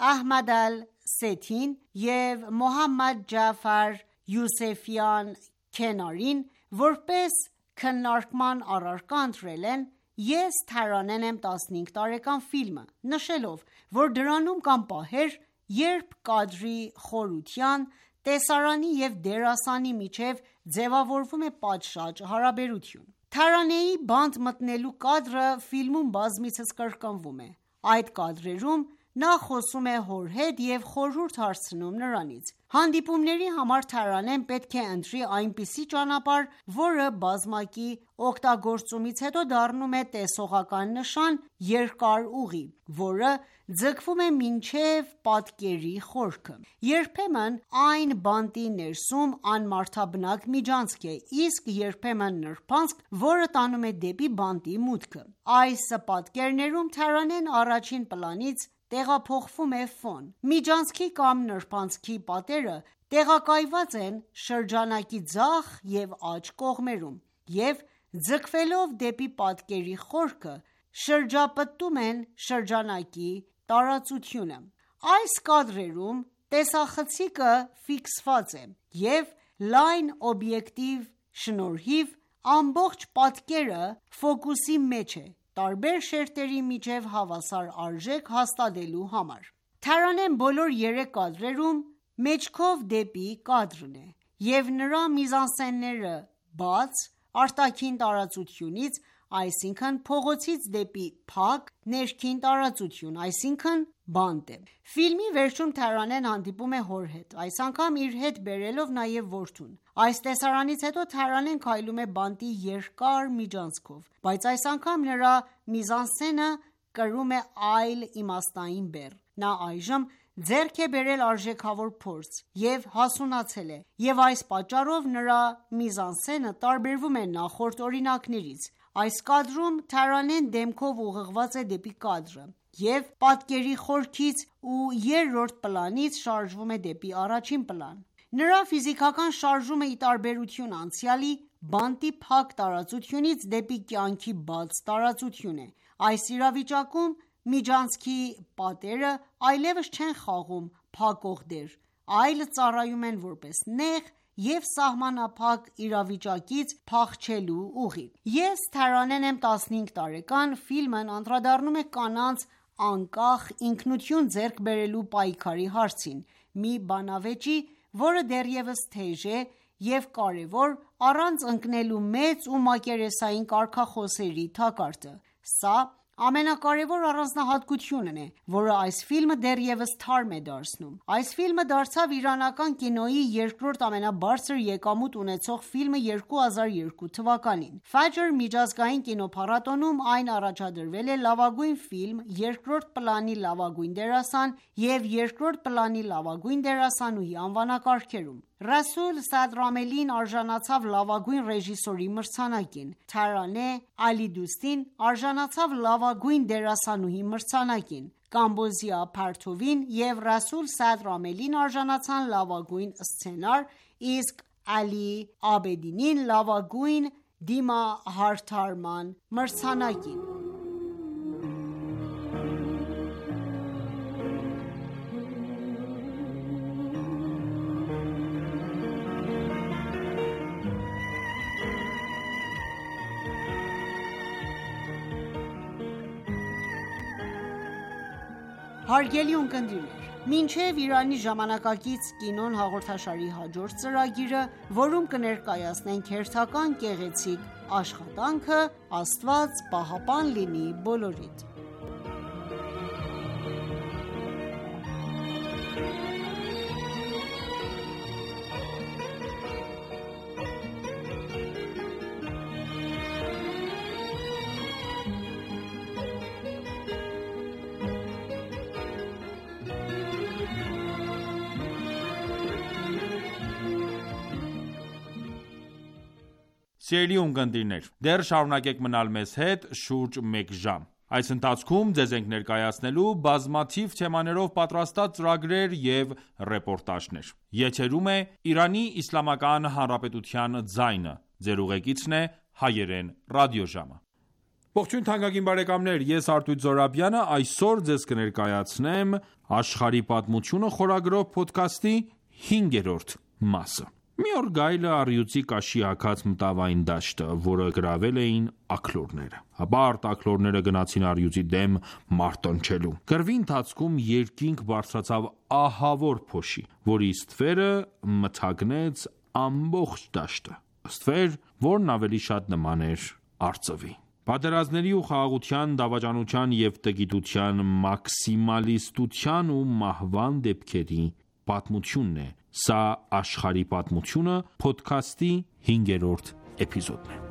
Ահմադ Ալ-Սեթին և Մոհամմադ Ջաֆար Յուսեֆյան Քենարին որպես քննարկման առարկա ընտրել են «Ես Թարանեն եմ 15 տարեկան» ֆիլմը, նշելով, որ դրանում կան պահեր, երբ կադրի խորության, տեսարանի և դերասանի միջև ձևավորվում է պատշաճ հարաբերություն: Թարանեի բանտ մտնելու կադրը ֆիլմում բազմիցս կրկնվում է: Այդ կադրերում նա խոսում է հոր հետ և խորհուրդ հարցնում նրանից: Հանդիպումների համար Թարանեն պետք է ընտրի այնպիսի ճանապարհ, որը բազմակի օգտագործումից հետո դառնում է տեսողական նշան երկար ուղի, որը ձգվում է մինչև պատկերի խորքը: Երբեմն այն բանտի ներսում անմարդաբնակ միջանցք է, իսկ երբեմն նրբանցք, որը տանում է դեպի բանտի մուտքը: Այս պատկերներում Թարանեն առաջին պլանից տեղափոխվում է ֆոն: Միջանցքի կամ նրբանցքի պատերը տեղակայված են շրջանակի ձախ և աջ կողմերում և ձգվելով դեպի պատկերի խորքը, շրջապտում են շրջանակի տարածությունը: Այս կադրերում տեսախցիկը ֆիքսված է և լայն օբյեկտիվ շնորհիվ ամբողջ պատկերը ֆոկուսի մեջ է տարբեր շերտերի միջև հավասար արժեք հաստատելու համար: Թարանեն բոլոր երեք կադրերում մեջքով դեպի կադրն է և նրա միզանսցենները բաց, արտաքին տարածությունից, այսինքն փողոցից դեպի փակ ներքին տարածություն, այսինքն բանտ է: Ֆիլմի վերջում Թարանեն հանդիպում է հոր հետ, այս անգամ իր հետ բերելով նաև որդուն: Այս տեսարանից հետո Թարանեն քայլում է բանտի երկար միջանցքով, բայց այս անգամ նրա միզանսցենը կրում է այլ իմաստային բեռ: Նա այժմ ձեռք է բերել արժեքավոր փորձ և հասունացել է և այս պատճառով նրա միզանսցենը տարբերվում է նախորդ օրինակներից: Այս կադրում Թարանեն դեմքով ուղղված է դեպի կադրը և պատկերի խորքից ու երրորդ պլանից շարժվում է դեպի առաջին պլան: Նրա ֆիզիկական շարժումը, ի տարբերություն անցյալի, բանտի փակ տարածությունից դեպի կյանքի բաց տարածություն է: Այս իրավիճակում միջանցքի պատերը այլևս չեն խաղում փակող դեր, այլ ծառայում են որպես նեղ և սահմանափակ իրավիճակից փախչելու ուղի: «Ես Թարանեն եմ 15 տարեկան» ֆիլմն անդրադառնում է կանանց անկախ ինքնություն ձեռք բերելու պայքարի հարցին, մի բանավեճի, որը դեռևս թեժ է և կարևոր առանց ընկնելու մեծ ու մակերեսային կարգախոսների թակարդը: Սա ամենակարևոր առանձնահատկությունն է, որը այս ֆիլմը դեռևս թարմ է դարձնում: Այս ֆիլմը դարձավ իրանական կինոյի երկրորդ ամենաբարձր եկամուտ ունեցող ֆիլմը 2002 թվականին: Ֆաջր միջազգային կինոփառատոնում այն առաջադրվել է լավագույն ֆիլմ, երկրորդ պլանի լավագույն դերասան և երկրորդ պլանի լավագույն դերասանուհի անվանակարգերում: Ռասուլ Սաադ Ռամելին արժանացավ լավագույն ռեժիսորի մրցանակին, Թարանե Ալիդուստին արժանացավ լավագույն դերասանուհի մրցանակին, Կամբոզիա Փարթովին և Ռասուլ Սաադ Ռամելին արժանացան լավագույն սցենար, իսկ Ալի Աբեդինին լավագույն դիմահարդարման մրցանակին: Հարգելի ունկնդիրներ, մինչև Իրանի ժամանակակից կինոն հաղորդաշարի հաջորդ ծրագիրը, որում կներկայացնենք հերթական գեղեցիկ աշխատանքը, Աստված պահապան լինի բոլորիդ։ Սիրելի ունկնդիրներ, դեռ շարունակեք մնալ մեզ հետ շուրջ մեկ ժամ։ Այս ընթացքում ձեզ ենք ներկայացնելու բազմաթիվ թեմաներով պատրաստած ծրագրեր և ռեպորտաժներ։ Եթերում է Իրանի Իսլամական Հանրապետության ձայնը։ Ձեր ուղեկիցն է Հայերեն ռադիոժամը։ Ողջույն թանկագին բարեկամներ, ես Արտույտ Զոհրաբյանը այսօր ձեզ կներկայացնեմ Աշխարհի պատմությունը խորագրով փոդքասթի 5-րդ մասը։ Մի օր գայլը առյուծի կաշի հագած մտավ այն դաշտը, որը գրավել էին աքլորները։ Հապարտ աքլորները գնացին առյուծի դեմ մարտնչելու։ Կռվի ընթացքում երկինք բարձրացավ ահավոր փոշի, որի ստվերը մթագնեց ամբողջ դաշտը։ Ստվեր, որն ավելի շատ նման էր արծվի։ Պատերազմների ու խաղաղության, դավաճանության և տգիտության, մաքսիմալիստության ու մահվան դեպքերի պատմությունն է։ Սա Աշխարհի պատմությունը փոդքասթի 5-րդ էպիզոդն է։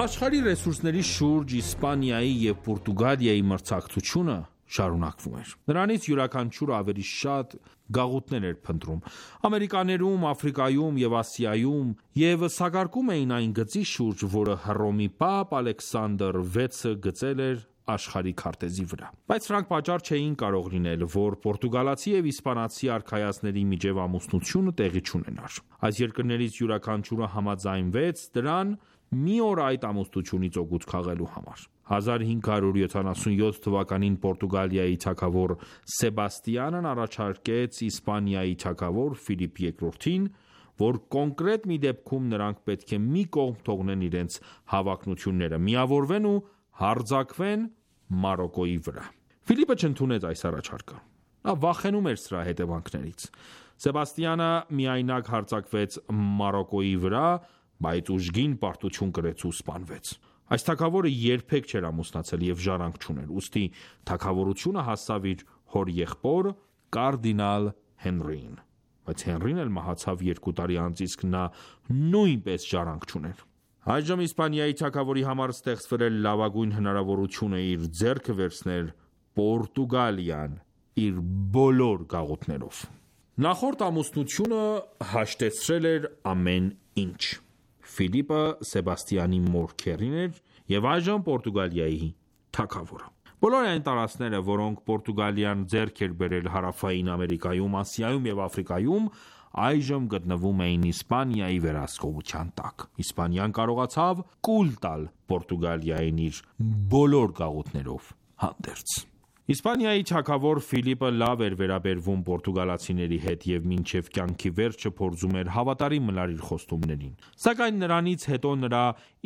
Աշխարհի ռեսուրսների շուրջ Իսպանիայի և Պորտուգալիայի մրցակցությունը շարունակվում էր։ Նրանից յուրաքանչյուրը ավելի շատ գաղութներ էր փնտրում։ Ամերիկաներում, Աֆրիկայում և Ասիայում և սակարկում էին այն գծի շուրջ, որը Հռոմի Պապ Ալեքսանդր 6-ը գծել էր աշխարհի քարտեզի վրա։ Բայց սրանք պատճառ չէին կարող լինել, որ պորտուգալացի և իսպանացի արքայազնների միջև ամուսնությունը տեղի չունենար։ Այս երկրներից յուրաքանչյուրը համաձայնվեց դրան մի օր այդ ամուսնությունից օգուտ քաղելու համար։ 1577 թվականին Պորտուգալիայի թագավոր Սեբաստիանն առաջարկեց Իսպանիայի թագավոր Ֆիլիպ II-ին, որ կոնկրետ մի դեպքում նրանք պետք է մի կողմ թողնեն իրենց հավակնությունները, միավորվեն ու հարձակվեն Մարոկոյի վրա։ Ֆիլիպը չընդունեց այս առաջարկը։ Նա վախենում էր սրա հետևանքներից։ Սեբաստիանը միայնակ հարձակվեց Մարոկոյի վրա, բայց ուժգին պարտություն կրեց ու սպանվեց։ Այս թագավորը երբեք չէր ամուսնացել և ժառանգ չուներ, ուստի թագավորությունը հասավ իր հոր եղբոր կարդինալ Հենրիին, բայց Հենրին էլ մահացավ 2 տարի անց, իսկ նա նույնպես ժառանգ չուներ։ Այժմ Իսպանիայի թագավորի համար ստեղծվել էր լավագույն հնարավորությունը իր ձեռքը վերցնել Պորտուգալիան իր բոլոր գաղութներով։ Նախորդ ամուսնությունը հաշտեցրել էր ամեն ինչ։ Ֆիլիպը Սեբաստիանի մոր քեռին էր և այժմ Պորտուգալիայի թագավորը։ Բոլոր այն տարածքները, որոնք Պորտուգալիան ձեռք էր բերել Հարավային Ամերիկայում, Ասիայում և Աֆրիկայում, այժմ գտնվում էին Իսպանիայի վերահսկողության տակ։ Իսպանիան կարողացավ կուլ տալ Պորտուգալիային իր բոլոր գաղութներով հանդերձ։ Իսպանիայի թագավոր Ֆիլիպը լավ էր վերաբերվում պորտուգալացիների հետ և մինչև կյանքի վերջը փորձում էր հավատարիմ մնալ իր խոստումներին։ Սակայն նրանից հետո նրա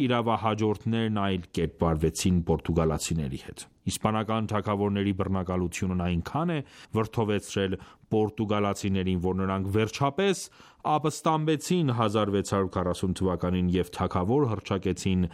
իրավահաջորդներն այլ կերպ վարվեցին պորտուգալացիների հետ։ Իսպանական թագավորների բռնակալությունն այնքան է վրդովեցրել պորտուգալացիներին, որ նրանք վերջապես ապստամբեցին 1640 թվականին և թագավոր հռչակեցին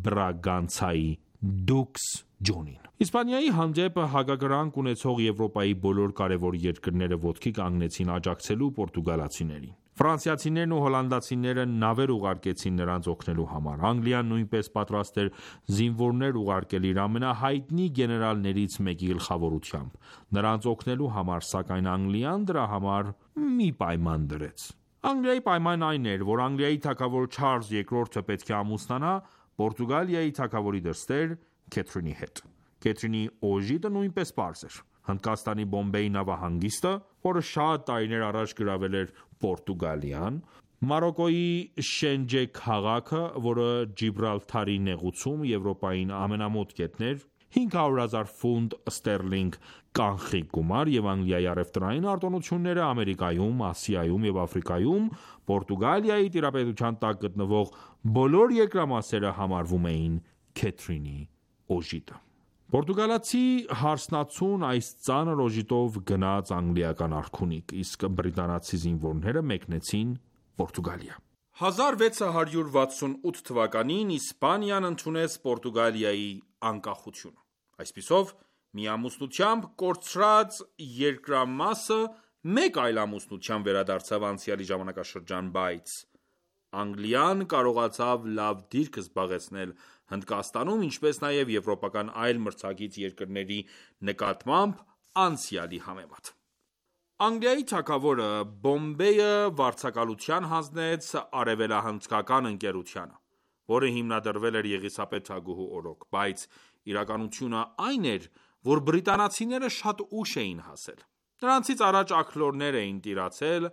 Բրագանցայի դուքս Ջոնին։ Իսպանիայի հանդեպ հակակրանք ունեցող Եվրոպայի բոլոր կարևոր երկրները ոտքի կանգնեցին աջակցելու պորտուգալացիներին։ Ֆրանսիացիներն ու հոլանդացիները նավեր ուղարկեցին նրանց օգնելու համար։ Անգլիան նույնպես պատրաստ էր զինվորներ ուղարկել իր ամենահայտնի գեներալներից մեկի գլխավորությամբ նրանց օգնելու համար, սակայն Անգլիան դրա համար մի պայման դրեց։ Անգլիայի պայմանն այն էր, որ Անգլիայի թագավոր Չարլզ II-ը պետք է ամուսնանա Պորտուգալիայի թագավորի դստեր Քեթրինի հետ։ Քեթրինի օժիտը նույնպես պարզ էր։ Հնդկաստանի Բոմբեի նավահանգիստը, որը շատ տարիներ առաջ գրավել էր Պորտուգալիան, Մարոկոյի Շենջե քաղաքը, որը Ջիբրալթարի նեղուցում Եվրոպային ամենամոտ կետն էր, 500,000 ֆունտ ստերլինգ կանխիկ գումար և Անգլիայի առևտրային արտոնությունները Ամերիկայում, Ասիայում և Աֆրիկայում Պորտուգալիայի տիրապետության տակ գտնվող բոլոր երկրամասերը համարվում էին Քեթրինի օժիտը։ Պորտուգալացի հարսնացուն այս ծանր օժիտով գնաց անգլիական արքունիք, իսկ բրիտանացի զինվորները մեկնեցին Պորտուգալիա։ 1668 թվականին Իսպանիան ընդունեց Պորտուգալիայի անկախությունը։ Այսպիսով, մի ամուսնությամբ կորցրած երկրամասը մեկ այլ ամուսնությամբ վերադարձավ անցյալի ժամանակաշրջան, բայց Անգլիան կարողացավ լավ դիրք զբաղեցնել Հնդկաստանում, ինչպես նաև եվրոպական այլ մրցակից երկրների նկատմամբ անցյալի համեմատ։ Անգլիայի թագավորը Բոմբեյը վարձակալության հանձնեց Արևելահնդկական ընկերությանը, որը հիմնադրվել էր Եղիսաբեթ թագուհու օրոք, բայց իրականությունը այն էր, որ բրիտանացիները շատ ուշ էին հասել։ Նրանցից առաջ աքլորներ էին տիրացել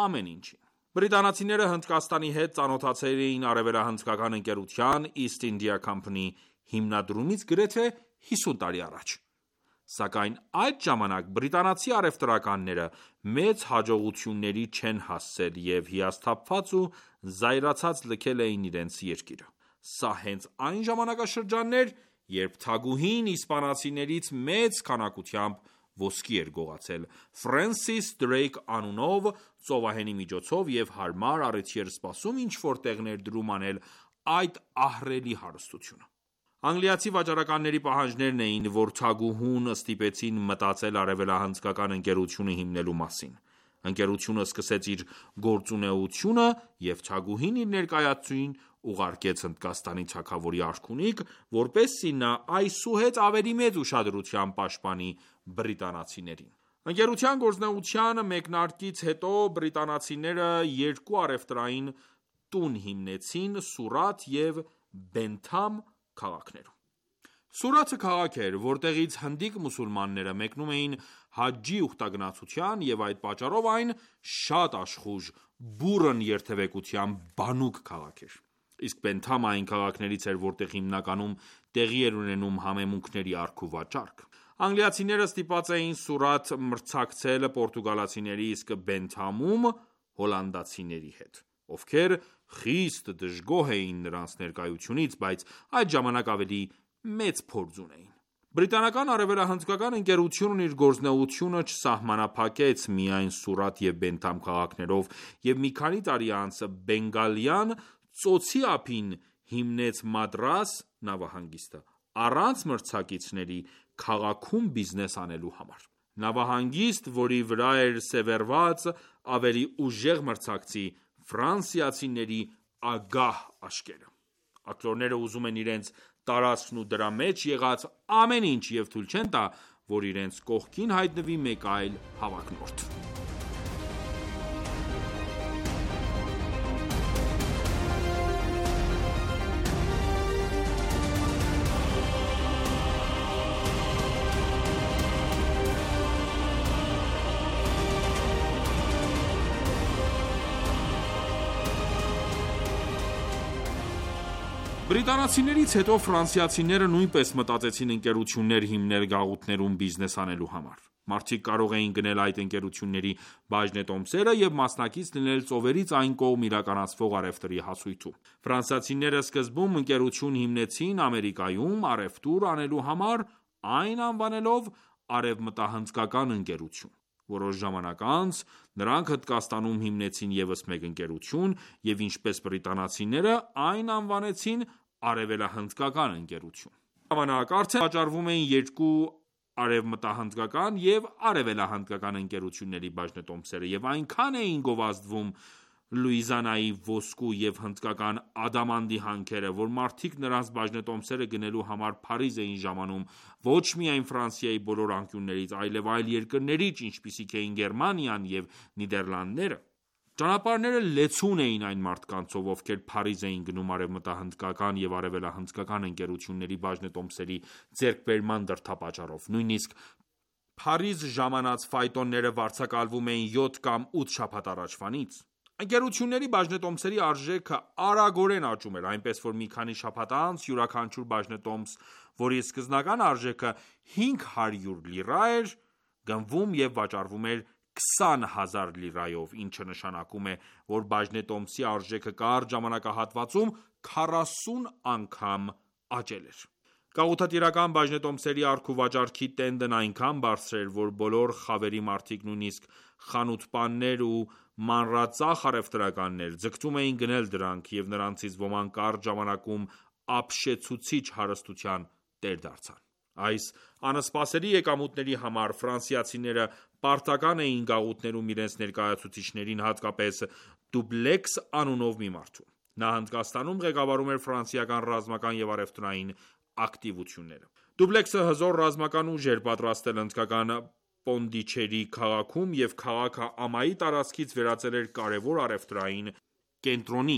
ամեն ինչին։ Բրիտանացիները Հնդկաստանի հետ ծանոթացել էին Արևելահնդկական ընկերության East India Company հիմնադրումից գրեթե 50 տարի առաջ։ Սակայն այդ ժամանակ բրիտանացի առևտրականները մեծ հաջողությունների չեն հասել և հիասթափված ու զայրացած լքել էին իրենց երկիրը։ Սա հենց այն ժամանակաշրջանն էր, երբ թագուհին իսպանացիներից մեծ քանակությամբ ոսկի էր գողացել Ֆրենսիս Դրեյք անունով ծովահենի միջոցով և հարմար առիթի էր սպասում ինչ-որ տեղ ներդրում անել այդ ահռելի հարստությունը։ Անգլիացի վաճառականների պահանջներն էին, որ թագուհուն ստիպեցին մտածել արևելահնդկական ընկերությունը հիմնելու մասին։ Ընկերությունը սկսեց իր գործունեությունը և թագուհին իր ներկայացուցիչին ուղարկեց Հնդկաստանի թագավորի արքունիք, որպեսզի նա այսուհետ ավելի մեծ ուշադրությամբ պաշտպանի բրիտանացիներին։ Ընկերության գործունեության մեկնարկից հետո բրիտանացիները երկու առևտրային տուն հիմնեցին Սուրաթ և Բենթամ քաղաքներում։ Սուրաթը քաղաք էր, որտեղից հնդիկ մուսուլմանները մեկնում էին հաջջի ուխտագնացության և այդ պատճառով այն շատ աշխույժ, բուռն երթևեկության բանուկ քաղաք էր։ Իսկ Բենթամը այն քաղաքներից էր, որտեղ հիմնականում տեղի էր ունենում համեմունքների առք ու վաճառք։ Անգլիացիները ստիպված էին Սուրաթ մրցակցել պորտուգալացիների, իսկ Բենթամում հոլանդացիների հետ, ովքեր խիստ դժգոհ էին նրանց ներկայությունից, բայց այդ ժամանակ ավելի մեծ փորձ ունեին։ Բրիտանական արևելահնդկական ընկերությունն իր գործունեությունը չսահմանափակեց միայն Սուրաթ և Բենթամ քաղաքներով և մի քանի տարի անց Բենգալյան ծոցի ափին հիմնեց Մադրաս նավահանգիստը, առանց մրցակիցների քաղաքում բիզնես անելու համար։ Նավահանգիստ, որի վրա էր սևեռված ավելի ուժեղ մրցակցի ֆրանսիացիների ագահ աշկերը։ Աքլորները ուզում են իրենց տարածքն ու դրա մեջ եղած ամեն ինչ և թույլ չեն տա, որ իրենց կողքին հայտնվի մեկ այլ հավակնորդ։ Բրիտանացիներից հետո ֆրանսիացիները նույնպես մտածեցին ընկերություններ հիմնել գաղութներում բիզնես անելու համար։ Մարդիկ կարող էին գնել այդ ընկերությունների բաժնետոմսերը և մասնակից լինել ծովերից այն կողմ իրականացվող առևտրի հասույթում։ Ֆրանսիացիները սկզբում ընկերություն հիմնեցին Ամերիկայում առևտուր անելու համար, այն անվանելով Արևմտահնդկական ընկերություն։ Որոշ ժամանակ անց նրանք Հնդկաստանում հիմնեցին ևս մեկ ընկերություն և ինչպես բրիտանացիները այն անվանեցին Արևելահնդկական ընկերություն։ Ժամանակ արդեն վաճառվում էին երկու արևմտահնդկական և արևելահնդկական ընկերությունների բաժնետոմսերը և այնքան էին գովազդվում Լուիզիանայի ոսկու և հնդկական ադամանդի հանքերը, որ մարդիկ նրանց բաժնետոմսերը գնելու համար Փարիզ էին ժամանում ոչ միայն Ֆրանսիայի բոլոր անկյուններից, այլև այլ երկրներից, ինչպիսիք էին Գերմանիան և Նիդերլանդները։ Ճանապարհները լեցուն էին այն մարդկանցով, ովքեր Փարիզ էին գնում արևմտահնդկական և արևելահնդկական ընկերությունների բաժնետոմսերի ձեռքբերման դրդապատճառով։ Նույնիսկ Փարիզ ժամանած ֆայտոնները վարձակալվում էին 7 կամ 8 շաբաթ առաջվանից։ Ընկերությունների բաժնետոմսերի արժեքը արագորեն աճում էր, այնպես որ մի քանի շաբաթ անց յուրաքանչյուր բաժնետոմս, որի սկզբնական արժեքը 500 լիրա էր, գնվում և վաճառվում էր 20,000 լիրայով, ինչը նշանակում է, որ բաժնետոմսի արժեքը կարճ ժամանակահատվածում 40 անգամ աճել էր։ Գաղութատիրական բաժնետոմսերի առք-ու-վաճառքի տենդն այնքան բարձր էր, որ բոլոր խավերի մարդիկ, նույնիսկ խանութպաններ ու մանրածախ առևտրականներ, ձգտում էին գնել դրանք, և նրանցից ոմանք կարճ ժամանակում ապշեցուցիչ հարստության տեր դարձան։ Այս անսպասելի եկամուտների համար ֆրանսիացիները պարտական էին գաղութներում իրենց ներկայացուցիչներին, հատկապես Դուբլեքս անունով մի մարդու։ Նա Հնդկաստանում ղեկավարում էր ֆրանսիական ռազմական և առևտրային ակտիվությունները։ Դուբլեքսը հզոր ռազմական ուժ էր պատրաստել հնդկական Պոնդիչերի քաղաքում և քաղաքը ամայի տարածքից վերածել էր կարևոր առևտրային կենտրոնի,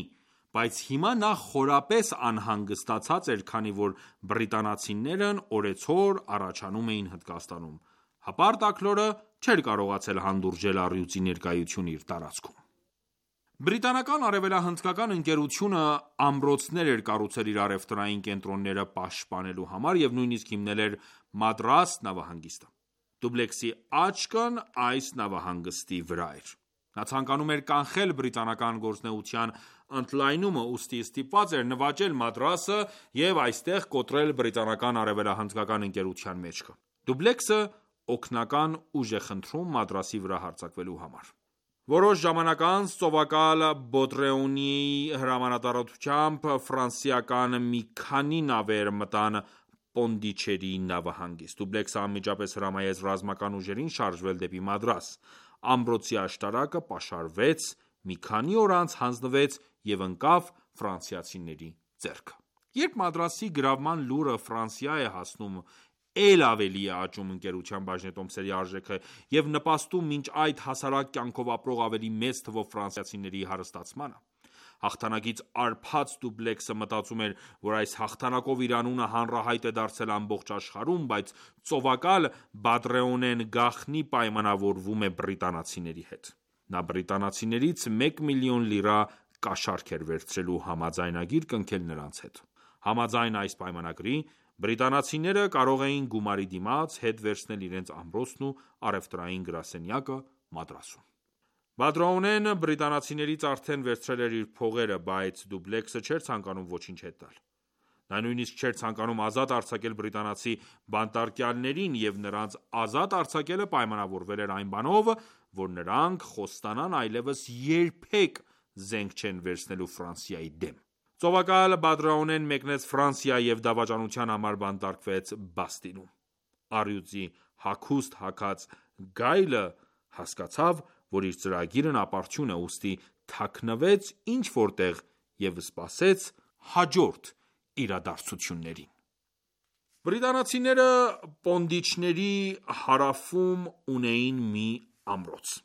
բայց հիմա նա խորապես անհանգստացած էր, քանի որ բրիտանացիներն օրեցօր առաջանում էին Հնդկաստանում։ Հպարտ աքլորը չէր կարողացել հանդուրժել առյուծի ներկայությունը իր տարածքում։ Բրիտանական արևելահնդկական ընկերությունը ամրոցներ էր կառուցել իր առևտրային կենտրոնները պաշտպանելու համար և նույնիսկ հիմնել էր Մադրաս նավահանգիստը։ Դուբլեքսի աչքն այս նավահանգստի վրա էր։ Նա ցանկանում էր կանխել բրիտանական գործունեության ընդլայնումը, ուստի ստիպված էր նվաճել Մադրասը և այստեղ կոտրել բրիտանական արևելահնդկական ընկերության մեջքը։ Դուբլեքսը օգնական ուժ է խնդրում Մադրասի վրա հարձակվելու համար։ Որոշ ժամանակ անց ծովակալ Բոտրեունիի հրամանատարությամբ ֆրանսիական մի քանի նավեր մտան Պոնդիչերի նավահանգիստ։ Դուբլեքսը անմիջապես հրամայեց ռազմական ուժերին շարժվել դեպի Մադրաս։ Ամրոցի աշտարակը պաշարվեց, մի քանի օր անց հանձնվեց և ընկավ ֆրանսիացիների ձեռքը։ Երբ Մադրասի գրավման լուրը Ֆրանսիա է հասնում, էլ ավելի է աճում ընկերության բաժնետոմսերի արժեքը և նպաստում մինչ այդ հասարակ կյանքով ապրող ավելի մեծ թվով ֆրանսիացիների հարստացմանը։ Հաղթանակից արբած Դուբլեքսը մտածում էր, որ այս հաղթանակով իր անունը հանրահայտ է դարձել ամբողջ աշխարհում, բայց ծովակալ Բադրեոնեն գաղտնի պայմանավորվում է բրիտանացիների հետ։ Նա բրիտանացիներից 1 միլիոն լիրա կաշառք էր վերցրելու համաձայնագիր կնքել նրանց հետ։ Համաձայն այս պայմանագրի, բրիտանացիները կարող էին գումարի դիմաց հետ վերցնել իրենց ամրոցն ու առևտրային գրասենյակը Մադրասում։ Բադրեոնեն բրիտանացիներից արդեն վերցրել էր իր փողերը, բայց Դուբլեքսը չէր ցանկանում ոչինչ հետ տալ։ Նա նույնիսկ չէր ցանկանում ազատ արձակել բրիտանացի բանտարկյալներին, և նրանց ազատ արձակելը պայմանավորվել էր այն բանով, որ նրանք խոստանան այլևս երբեք զենք չեն վերցնելու Ֆրանսիայի դեմ։ Ծովակալ Բադրեոնեն մեկնեց Ֆրանսիա և դավաճանության համար բանտարկվեց Բաստիլում։ Առյուծի հագուստ հագած գայլը հասկացավ, որ իր ծրագիրն ապարդյուն է, ուստի թաքնվեց ինչ-որ տեղ և սպասեց հաջորդ իրադարձություններին։ Բրիտանացիները Պոնդիչների հարավում ունեին մի ամրոց,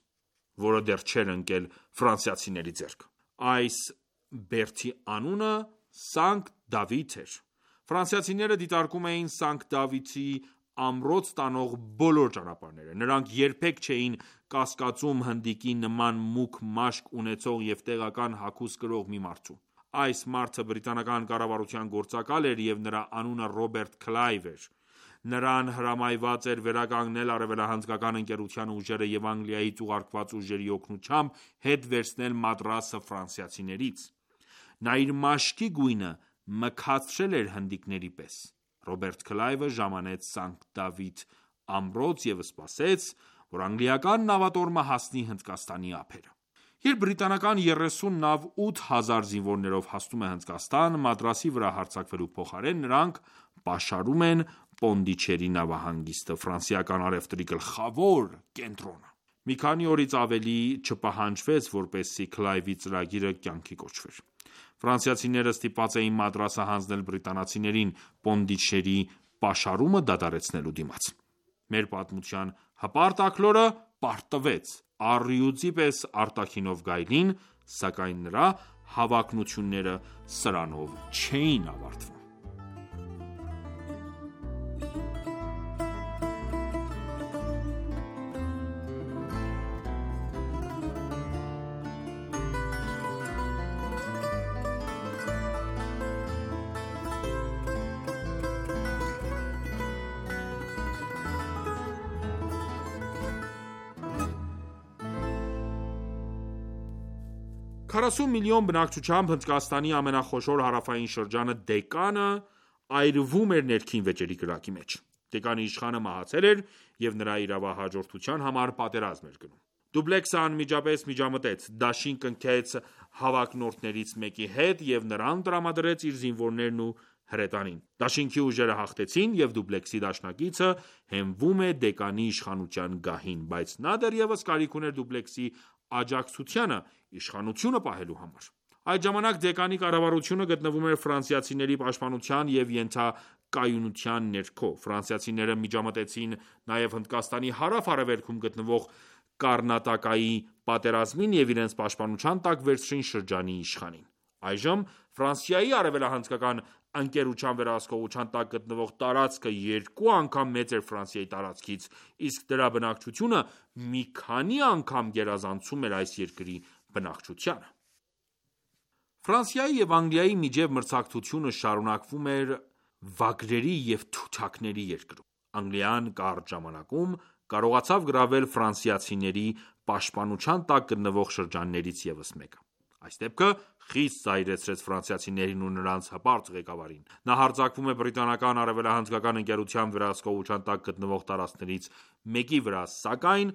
որը դեռ չէր ընկել ֆրանսիացիների ձեռքը։ Այս բերդի անունը Սանկտ Դավիթ էր։ Ֆրանսիացիները դիտարկում էին Սանկտ Դավիթի ամրոց տանող բոլոր ճանապարհները։ Նրանք երբեք չէին կասկածում հնդիկի նման մուգ մաշկ ունեցող և տեղական հագուստ կրող մի մարդու։ Այս մարդը բրիտանական կառավարության գործակալ էր և նրա անունը Ռոբերտ Քլայվ էր։ Նրան հրամայված էր վերականգնել արևելահնդկական ընկերության ուժերը և Անգլիայից ուղարկված ուժերի օգնությամբ հետ վերցնել Մադրասը ֆրանսիացիներից։ Նա իր մաշկի գույնը մքացրել էր հնդիկների պես։ Ռոբերտ Քլայվը ժամանեց Սանկտ Դավիթ ամրոց և սպասեց, որ անգլիական նավատորմը հասնի Հնդկաստանի ափերը։ Երբ բրիտանական 30 նավ 8000 զինվորներով հասնում է Հնդկաստան, Մադրասի վրա հարձակվելու փոխարեն, նրանք պաշարում են Պոնդիչերի նավահանգիստը, ֆրանսիական առևտրի գլխավոր կենտրոնը։ Մի քանի օրից ավելի չպահանջվեց, որպեսզի Քլայվի ծրագիրը կյանքի կոչվեր։ Ֆրանսիացիները ստիպված էին Մադրասը հանձնել բրիտանացիներին Պոնդիչերի պաշարումը դադարեցնելու դիմաց։ Մեր պատմության հպարտ աքլորը պարտվեց առյուծի պես արտաքինով գայլին, սակայն նրա հավակնությունները սրանով չէին ավարտվում։ 40 միլիոն բնակչությամբ Հնդկաստանի ամենախոշոր հարավային շրջանը Դեկանը այրվում էր ներքին վեճերի կրակի մեջ։ Դեկանի իշխանը մահացել էր և նրա իրավահաջորդության համար պատերազմ էր գնում։ Դուբլեքսը անմիջապես միջամտեց, դաշին կնքեց հավակնորդներից մեկի հետ և նրան տրամադրեց իր զինվորներն ու հրետանին։ Դաշինքի ուժերը հաղթեցին և Դուբլեքսի դաշնակիցը հենվում է Դեկանի իշխանության գահին, բայց նա դեռևս կարիք ուներ Դուբլեքսի աջակցությանը իշխանությունը պահելու համար։ Այդ ժամանակ Դեկանի կառավարությունը գտնվում էր ֆրանսիացիների պաշտպանության և ենթակայունության ներքո։ Ֆրանսիացիները միջամտեցին նաև Հնդկաստանի հարավ-արևելքում գտնվող Կառնատակայի պատերազմին և իրենց պաշտպանության տակ վերցրին շրջանի իշխանին։ Այժմ Ֆրանսիայի արևելահնդկական ընկերության վերահսկողության տակ գտնվող տարածքը 2 անգամ մեծ էր Ֆրանսիայի տարածքից, իսկ դրա բնակչությունը մի քանի անգամ գերազանցում էր այս երկրի բնակչությանը։ Ֆրանսիայի և Անգլիայի միջև մրցակցությունը շարունակվում էր վագրերի և թութակների երկրում։ Անգլիան կարճ ժամանակում կարողացավ գրավել ֆրանսիացիների պաշտպանության տակ գտնվող շրջաններից ևս մեկը։ Այս դեպքը խիստ զայրացրեց ֆրանսիացիներին ու նրանց հպարտ ղեկավարին։ Նա հարձակվում է բրիտանական արևելահնդկական ընկերության վերահսկողության տակ գտնվող տարածքներից մեկի վրա, սակայն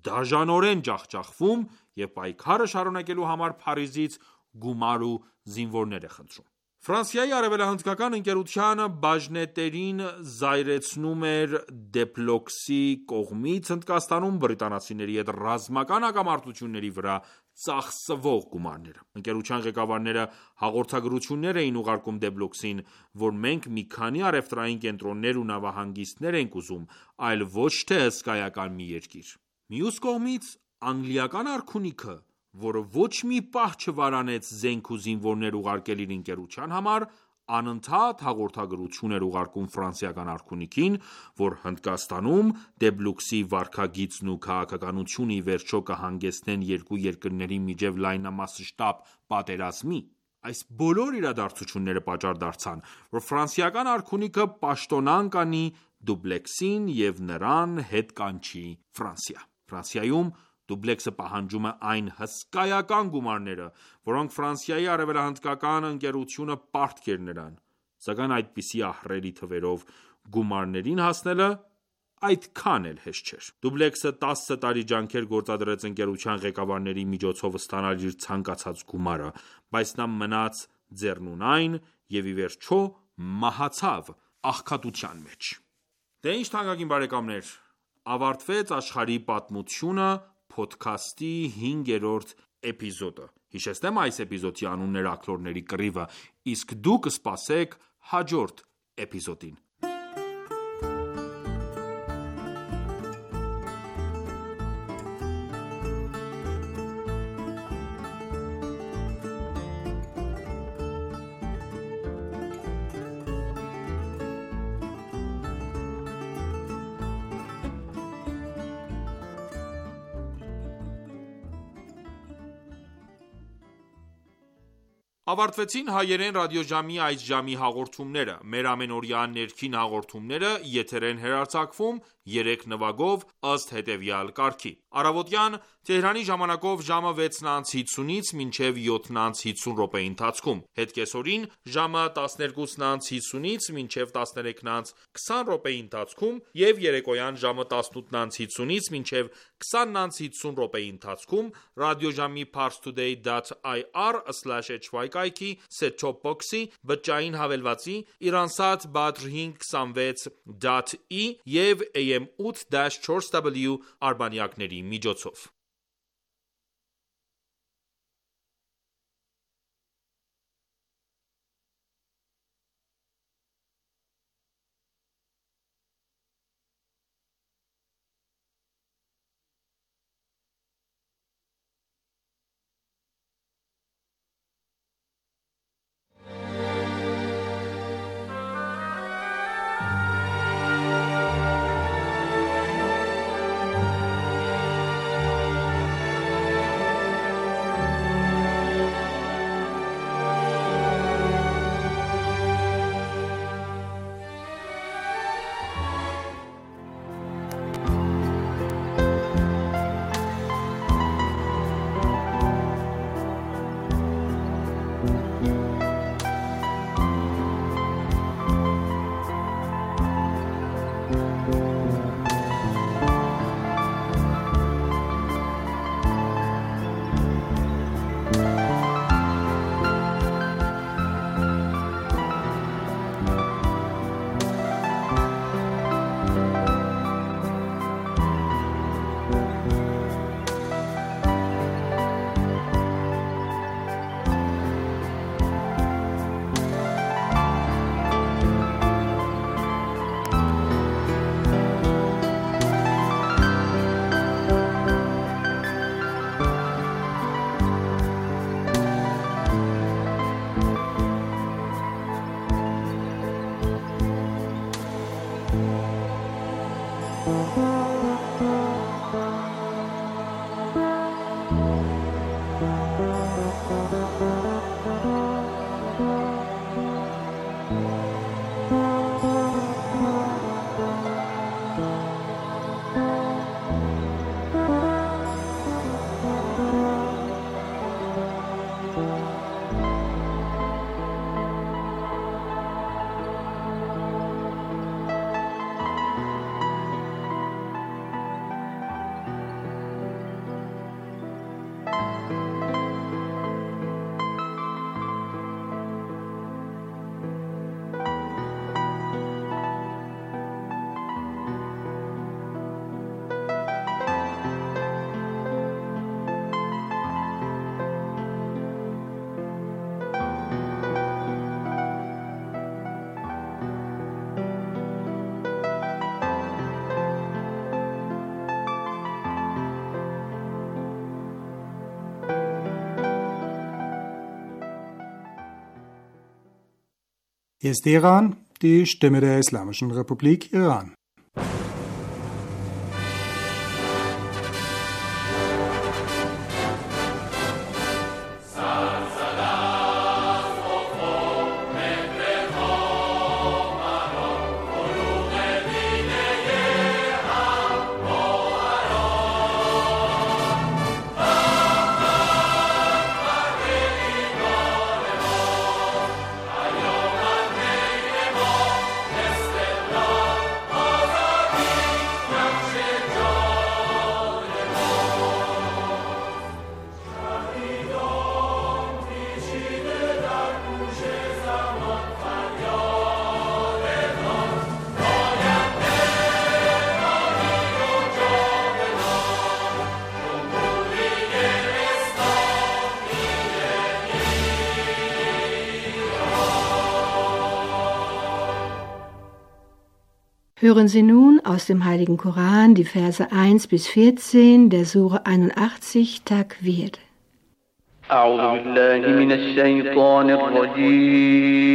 դաժանորեն ջախջախվում և պայքարը շարունակելու համար Փարիզից գումար ու զինվորներ է խնդրում։ Ֆրանսիայի արևելահնդկական ընկերության բաժնետերին զայրացնում էր Դուպլեքսի կողմից Հնդկաստանում բրիտանացիների հետ ռազմական հակամարտությունների վրա ծախսվող գումարները։ Ընկերության ղեկավարները հաղորդագրություններ էին ուղարկում Դուպլեքսին, որ մենք մի քանի առևտրային կենտրոններ ու նավահանգիստներ ենք ուզում, այլ ոչ թե հսկայական մի երկիր։ Մյուս կողմից անգլիական արքունիքը, որը ոչ մի պահ չվարանեց զենք ու զինվորներ ուղարկել իր ընկերության համար, անընդհատ հաղորդագրություն էր ուղարկում ֆրանսիական արքունիքին, որ Հնդկաստանում Դուպլեքսի վարքագիծն ու քաղաքականությունը ի վերջո կհանգեցնեն երկու երկրների միջև լայնամասշտաբ պատերազմի։ Այս բոլոր իրադարձությունները պատճառ դարձան, որ ֆրանսիական արքունիքը պաշտոնանկ անի Դուպլեքսին և նրան հետ կանչի Ֆրանսիա։ Ֆրանսիայում Դուպլեքսը պահանջում է այն հսկայական գումարները, որոնք Ֆրանսիայի արևելահնդկական ընկերությունը պարտք էր նրան, սակայն այդպիսի ահռելի թվերով գումարներին հասնելը այդքան էլ հեշտ չէր։ Դուպլեքսը 10 տարի ջանքեր գործադրեց ընկերության ղեկավարների միջոցով ստանալ իր ցանկացած գումարը, բայց նա մնաց ձեռնունայն և ի վերջո մահացավ աղքատության մեջ։ Դե ինչ թանկագին բարեկամներ, ավարտվեց աշխարհի պատմությունը փոդքասթի 5-րդ էպիզոդը։ Հիշեցնեմ այս էպիզոդի անունն էր Աքլորների կռիվը, իսկ դուք սպասեք հաջորդ էպիզոդին։ Ավարտվեցին հայերեն ռադիոժամի այս ժամի հաղորդումները։ Մեր ամենօրյա ներքին հաղորդումները եթեր են հեռարձակվում 3 նվագով ըստ հետևյալ կարգի։ Առավոտյան Թեհրանի ժամանակով ժամը 6:50-ից մինչև 7:50 րոպեի ընթացքում, հետ կեսօրին ժամը 12:50-ից մինչև 13:20 րոպեի ընթացքում և երեկոյան ժամը 18:50-ից մինչև 20:50 րոպեի ընթացքում ռադիոժամի parstoday.ir/hy կայքի set-top box-ի, բջջային հավելվածի, Iransat Badr 526.e և AM 8-4W արբանյակների միջոցով։ Hier ist Iran, die Stimme der Islamischen Republik Iran. Hören Sie nun aus dem Heiligen Koran die Verse 1 bis 14 der Sure 81 Takwir. أعوذ بالله من الشيطان الرجيم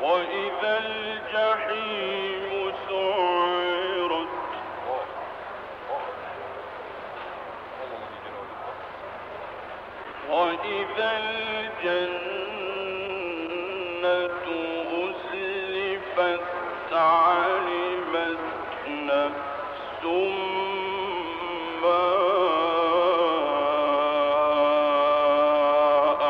وإذا الجحيم سعرت وإذا